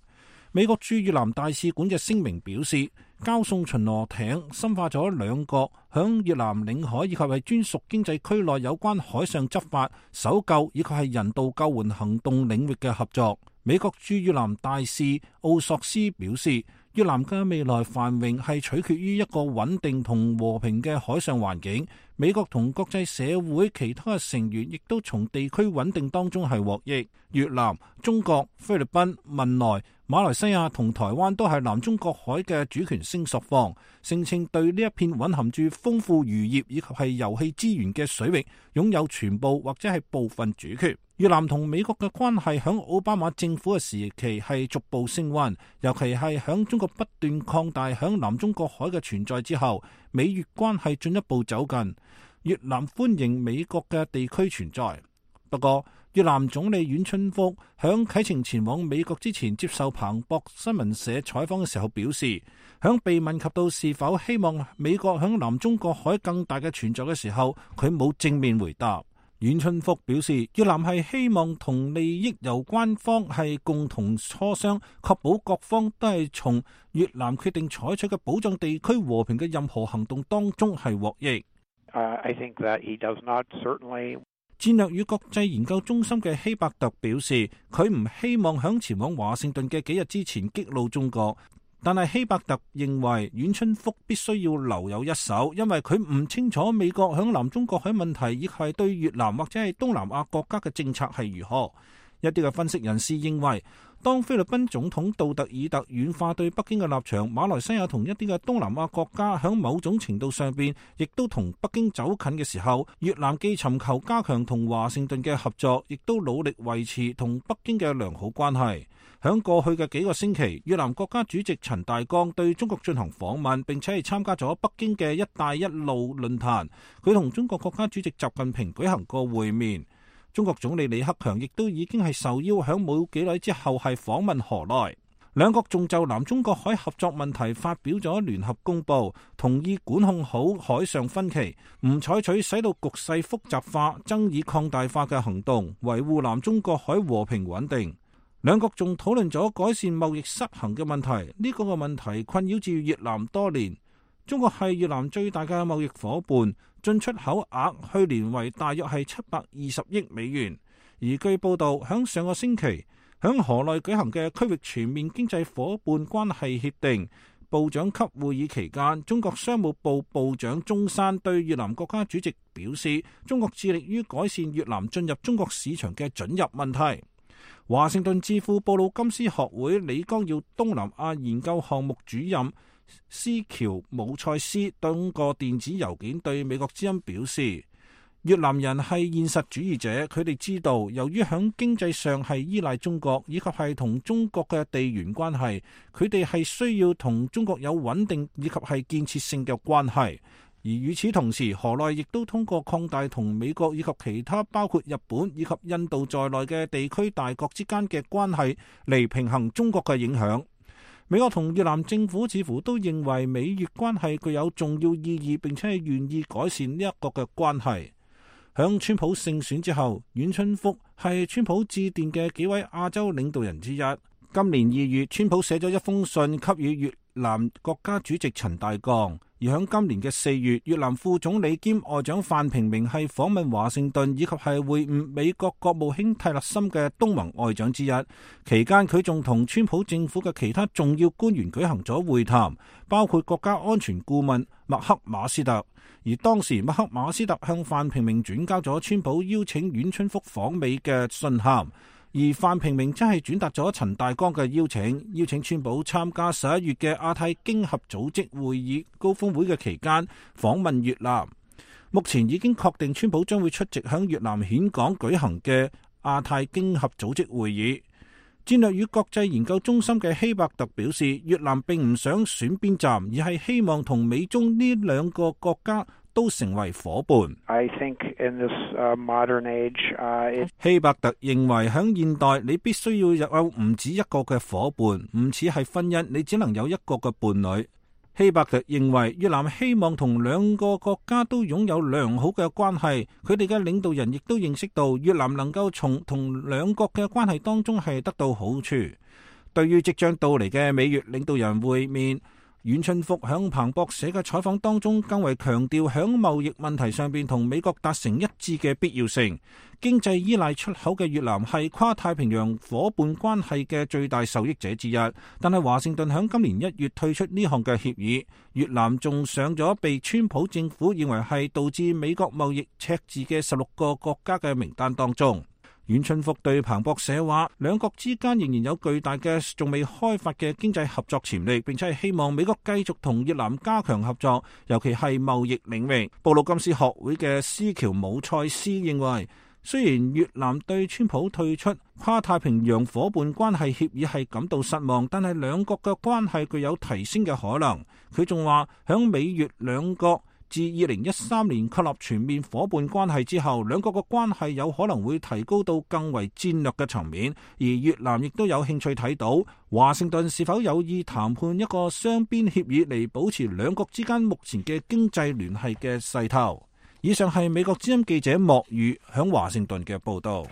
美國駐越南大使館嘅聲明表示，交送巡邏艇深化咗兩國響越南領海以及係專屬經濟區內有關海上執法、搜救以及係人道救援行動領域嘅合作。美國駐越南大使奧索斯表示，越南嘅未來繁榮係取決於一個穩定同和平嘅海上環境。美國同國際社會其他嘅成員亦都從地區穩定當中係獲益。越南、中國、菲律賓、文萊、馬來西亞同台灣都係南中國海嘅主權聲索方，聲稱對呢一片蘊含住豐富漁業以及係油氣資源嘅水域擁有全部或者係部分主權。越南同美國嘅關係響奧巴馬政府嘅時期係逐步升溫，尤其係響中國不斷擴大響南中國海嘅存在之後，美越關係進一步走近。越南歡迎美國嘅地區存在。不過，越南總理阮春福響啟程前往美國之前接受彭博新聞社採訪嘅時候表示，響被問及到是否希望美國響南中國海更大嘅存在嘅時候，佢冇正面回答。阮春福表示，越南係希望同利益有關方係共同磋商，確保各方都係從越南決定採取嘅保障地區和平嘅任何行動當中係獲益。I think that he does not certainly。戰略與國際研究中心嘅希伯特表示，佢唔希望響前往華盛頓嘅幾日之前激怒中國，但係希伯特認為阮春福必須要留有一手，因為佢唔清楚美國響南中國海問題亦係對越南或者係東南亞國家嘅政策係如何。一啲嘅分析人士認為，當菲律賓總統杜特爾特軟化對北京嘅立場，馬來西亞同一啲嘅東南亞國家響某種程度上邊亦都同北京走近嘅時候，越南既尋求加強同華盛頓嘅合作，亦都努力維持同北京嘅良好關係。響過去嘅幾個星期，越南國家主席陳大江對中國進行訪問，並且係參加咗北京嘅一帶一路論壇，佢同中國國家主席習近平舉行過會面。中國總理李克強亦都已經係受邀響冇幾耐之後係訪問河內，兩國仲就南中國海合作問題發表咗聯合公報，同意管控好海上分歧，唔採取使到局勢複雜化、爭議擴大化嘅行動，維護南中國海和平穩定。兩國仲討論咗改善貿易失衡嘅問題，呢個問題困擾住越南多年。中國係越南最大嘅貿易夥伴，進出口額去年為大約係720億美元。而據報道，響上個星期響河內舉行嘅區域全面經濟夥伴關係協定部長級會議期間，中國商務部部長鍾山對越南國家主席表示，中國致力於改善越南進入中國市場嘅准入問題。華盛頓智庫布魯金斯學會李光耀東南亞研究項目主任斯喬姆塞斯通過電子郵件對美國之音表示，越南人係現實主義者，佢哋知道由於響經濟上係依賴中國，以及係同中國嘅地緣關係，佢哋係需要同中國有穩定以及係建設性嘅關係。而與此同時，河內亦都通過擴大同美國以及其他包括日本以及印度在內嘅地區大國之間嘅關係嚟平衡中國嘅影響。美國同越南政府似乎都認為美越關係具有重要意義，並且係願意改善呢一個嘅關係。響川普勝選之後，阮春福係川普致電嘅幾位亞洲領導人之一。今年2月，川普寫咗一封信給予越南國家主席陳大江。而響今年嘅4月，越南副總理兼外長范平明係訪問華盛頓，以及係會晤美國國務卿蒂勒森嘅東盟外長之一。期間佢仲同川普政府嘅其他重要官員舉行咗會談，包括國家安全顧問麥克馬斯特。而當時麥克馬斯特向范平明轉交咗川普邀請阮春福訪美嘅信函。而范平明真係轉達咗陳大江嘅邀請川普參加11月嘅亞太經合組織會議高峰會嘅期間訪問越南。目前已經確定川普將會出席響越南峴港舉行嘅亞太經合組織會議。戰略與國際研究中心嘅希伯特表示，越南並唔想選邊站，而係希望同美中呢兩個國家都成為夥伴。I think in this modern age, 希伯特認為喺現代你必須要有唔止一個嘅夥伴，唔似係婚姻，你只能有一個嘅伴侶。希伯特認為越南希望同兩個國家都擁有良好嘅關係，佢哋嘅領導人亦都認識到越南能夠從同兩國嘅關係當中係得到好處。對於即將到嚟嘅美越領導人會面，阮春福響彭博社嘅採訪當中更為強調響貿易問題上邊同美國達成一致嘅必要性。經濟依賴出口嘅越南係跨太平洋夥伴關係嘅最大受益者之一，但係華盛頓響今年1月退出呢項嘅協議，越南仲上咗被川普政府認為係導致美國貿易赤字嘅16個國家嘅名單當中。阮春福對彭博社話，兩國之間仍然有巨大嘅仲未開發嘅經濟合作潛力，並且係希望美國繼續同越南加強合作，尤其係貿易領域。布魯金斯學會嘅斯喬姆塞斯認為，雖然越南對川普退出跨太平洋夥伴關係協議係感到失望，但係兩國嘅關係具有提升嘅可能。佢仲話，響美越兩國自2013年確立全面夥伴關係之後，兩國嘅關係有可能會提高到更為戰略嘅層面，而越南亦都有興趣睇到華盛頓是否有意談判一個雙邊協議嚟保持兩國之間目前嘅經濟聯繫嘅勢頭。以上係美國之音記者莫宇響華盛頓嘅報道。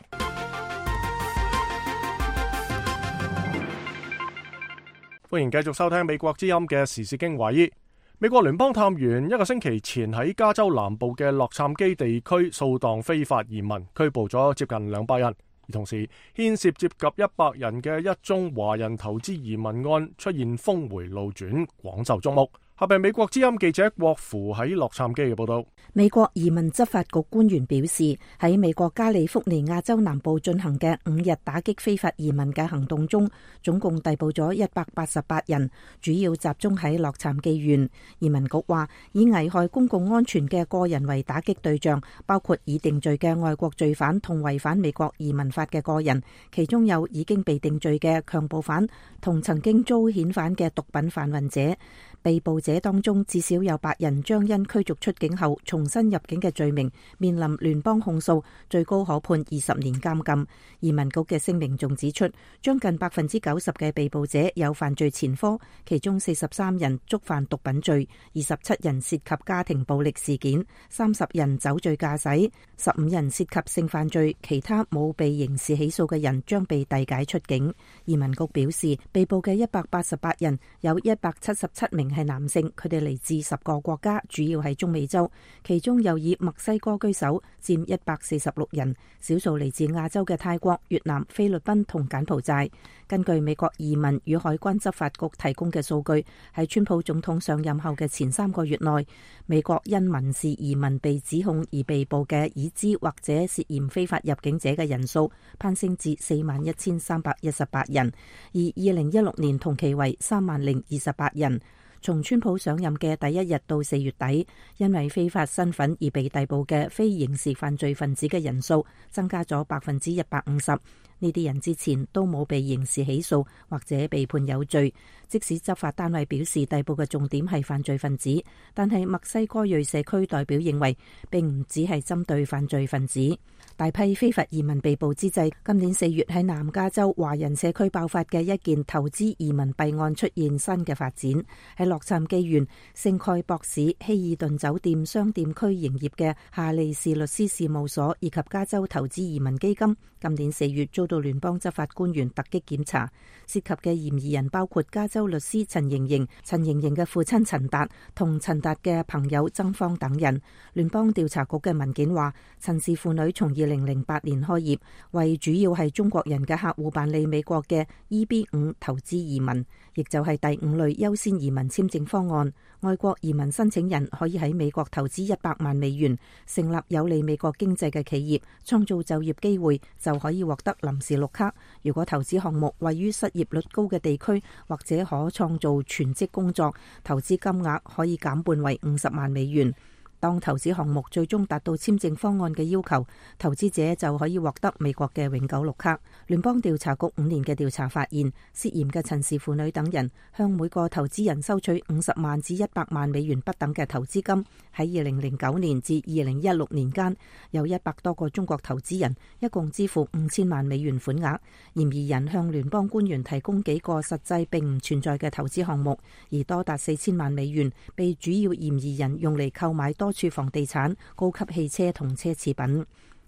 歡迎繼續收聽美國之音嘅時事經緯。美國聯邦探員1個星期前喺加州南部嘅洛杉磯地區掃蕩非法移民，拘捕咗接近200人，而同時牽涉接近100人嘅一宗華人投資移民案出現峰回路轉，廣受矚目。下邊美國之音記者郭芙喺洛杉磯嘅報道。美國移民執法局官員表示，喺美國加利福尼亞州南部進行嘅5日打擊非法移民嘅行動中，總共逮捕咗188人，主要集中喺洛杉磯縣。移民局話，以危害公共安全嘅個人為打擊對象，包括已定罪嘅外國罪犯同違反美國移民法嘅個人，其中有已經被定罪嘅強暴犯同曾經遭遣返嘅毒品販運者。被捕者當中至少有8人將因驅逐出境後重新入境嘅罪名面臨聯邦控訴，最高可判20年監禁。移民局嘅聲明仲指出，將近90%嘅被捕者有犯罪前科，其中43人觸犯毒品罪，27人涉及家庭暴力事件，30人酒醉駕駛，15人涉及性犯罪，其他冇被刑事起訴嘅人將被遞解出境。移民局表示，被捕嘅188人有177名名係男性，佢哋嚟自10個國家，主要係中美洲，其中又以墨西哥居首，佔146人，少數嚟自亞洲嘅泰國、越南、菲律賓同柬埔寨。根據美國移民與海關執法局提供嘅數據，喺川普總統上任後嘅前3個月內，美國因民事移民被指控而被捕嘅已知或者涉嫌非法入境者嘅人數攀升至41,318人，而2016年同期為30,028人。從川普上任嘅第一日到4月底，因為非法身份而被逮捕嘅非刑事犯罪分子嘅人數增加咗150%。呢啲人之前都冇被刑事起訴或者被判有罪，即使執法單位表示逮捕嘅重點係犯罪分子，但係墨西哥裔社區代表認為並唔只係針對犯罪分子。大批非法移民被捕之際，今年4月喺南加州華人社區爆發嘅一件投資移民弊案出現新嘅發展。喺洛杉磯縣聖蓋博市希爾頓酒店商店區營業嘅夏利士律師事務所以及加州投資移民基金，今年4月遭到聯邦執法官員突擊檢查，涉及嘅嫌疑人包括加州律師陳盈盈、陳盈盈嘅父親陳達同陳達嘅朋友曾芳等人。聯邦調查局嘅文件話，陳氏父女從2008年開業，為主要係中國人嘅客戶辦理美國嘅 EB-5 投資移民，亦就係第5類優先移民簽證方案。外國移民申請人可以喺美國投資100萬美元，成立有利美國經濟嘅企業，創造就業機會，就可以獲得臨時綠卡。如果投資項目位於失業率高嘅地區，或者可創造全職工作，投資金額可以減半為50萬美元。當投資項目最終達到簽證方案嘅要求，投資者就可以獲得美國嘅永久綠卡。聯邦調查局5年嘅調查發現，涉嫌嘅陳氏婦女等人向每個投資人收取50萬至100萬美元不等嘅投資金。喺2009年至2016年間，有100多個中國投資人一共支付5000萬美元款額。嫌疑人向聯邦官員提供幾個實際並唔存在嘅投資項目，而多達4000萬美元被主要嫌疑人用嚟購買多處房地產、高級汽車同奢侈品。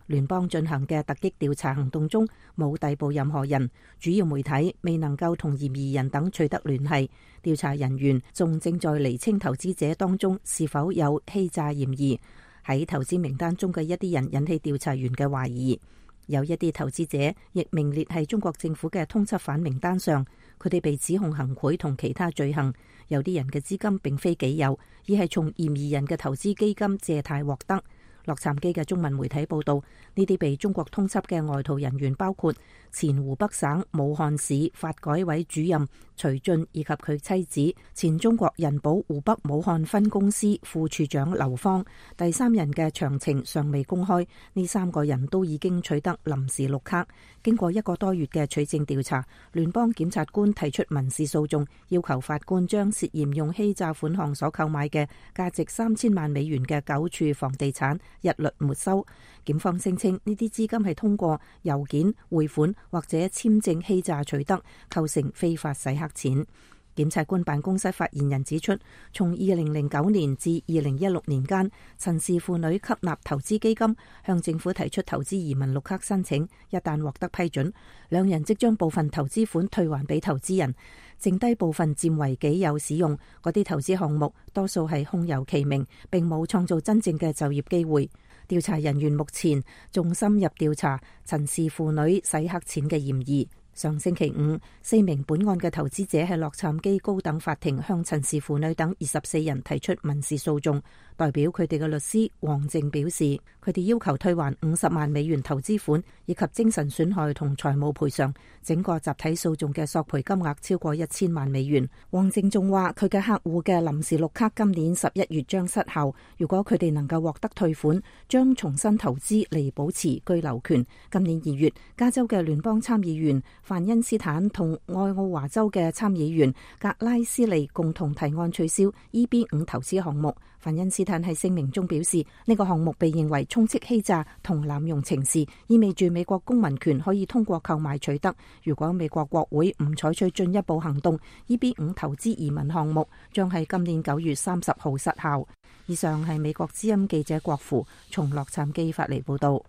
聯邦進行嘅突擊調查行動中冇逮捕任何人，主要媒體未能夠同嫌疑人等取得聯繫。調查人員仲正在釐清投資者當中是否有欺詐嫌疑。喺投資名單中嘅一啲人引起調查員嘅懷疑。有一啲投資者亦名列係中國政府嘅通緝犯名單上，佢哋被指控行賄同其他罪行。有啲人嘅資金並非己有，而係從嫌疑人嘅投資基金借貸獲得。洛杉磯嘅中文媒體報道，呢啲被中國通緝嘅外逃人員包括前湖北省武漢市發改委主任徐俊以及佢妻子，前中國人保湖北武漢分公司副處長劉芳。第三人嘅詳情尚未公開。呢3個人都已經取得臨時綠卡。經過1個多月嘅取證調查，聯邦檢察官提出民事訴訟，要求法官將涉嫌用欺詐款項所購買嘅價值3000萬美元嘅9處房地產一律沒收。檢方聲稱呢啲資金係通過郵件匯款或者簽證欺詐取得，構成非法洗黑錢。檢察官辦公室發言人指出，從2009年至2016年間，陳氏婦女吸納投資基金，向政府提出投資移民綠卡申請，一旦獲得批准，兩人即將部分投資款退還俾投資人，剩低部分佔為己有使用。嗰啲投資項目多數係空有其名，並冇創造真正嘅就業機會。調查人員目前仲深入調查陳氏婦女洗黑錢嘅嫌疑。上星期五，4名本案嘅投資者喺洛杉磯高等法庭向陳氏婦女等24人提出民事訴訟。代表佢哋嘅律師黃靜表示，佢哋要求退還50萬美元投資款以及精神損害同財務賠償，整個集體訴訟嘅索賠金額超過1000萬美元。黃靜仲話，佢嘅客戶嘅臨時綠卡今年11月將失效，如果佢哋能夠獲得退款，將重新投資嚟保持居留權。今年2月，加州嘅聯邦參議員范恩斯坦同愛奧華州嘅參議員格拉斯利共同提案取消 EB-5 投資項目。范恩斯坦喺聲明中表示，呢個項目被認為充斥欺詐同濫用情事，意味住美國公民權可以通過購買取得。如果美國國會唔採取進一步行動， EB-5 投資移民項目將喺今年9月30號失效。以上係美國之音記者郭芙從洛杉磯發嚟報道。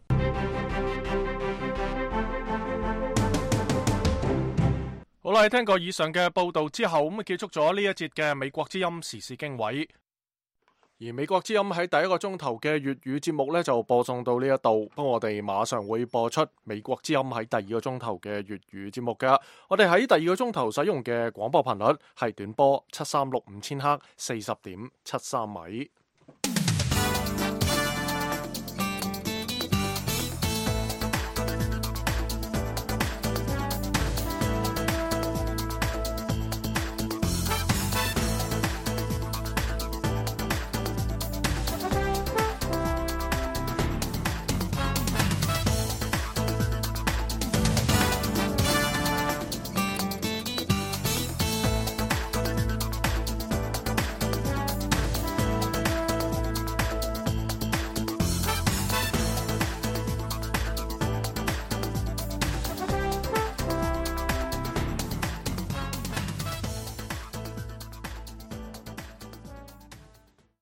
好啦，喺聽過以上嘅報道之後，咁啊結束咗呢一節嘅美國之音時事經緯。而美國之音喺第一個鐘頭嘅粵語節目呢，就播送到呢一度，不過我哋馬上會播出美國之音喺第二個鐘頭嘅粵語節目㗎。我哋喺第二個鐘頭使用嘅廣播頻率係短波7365千赫40.73米。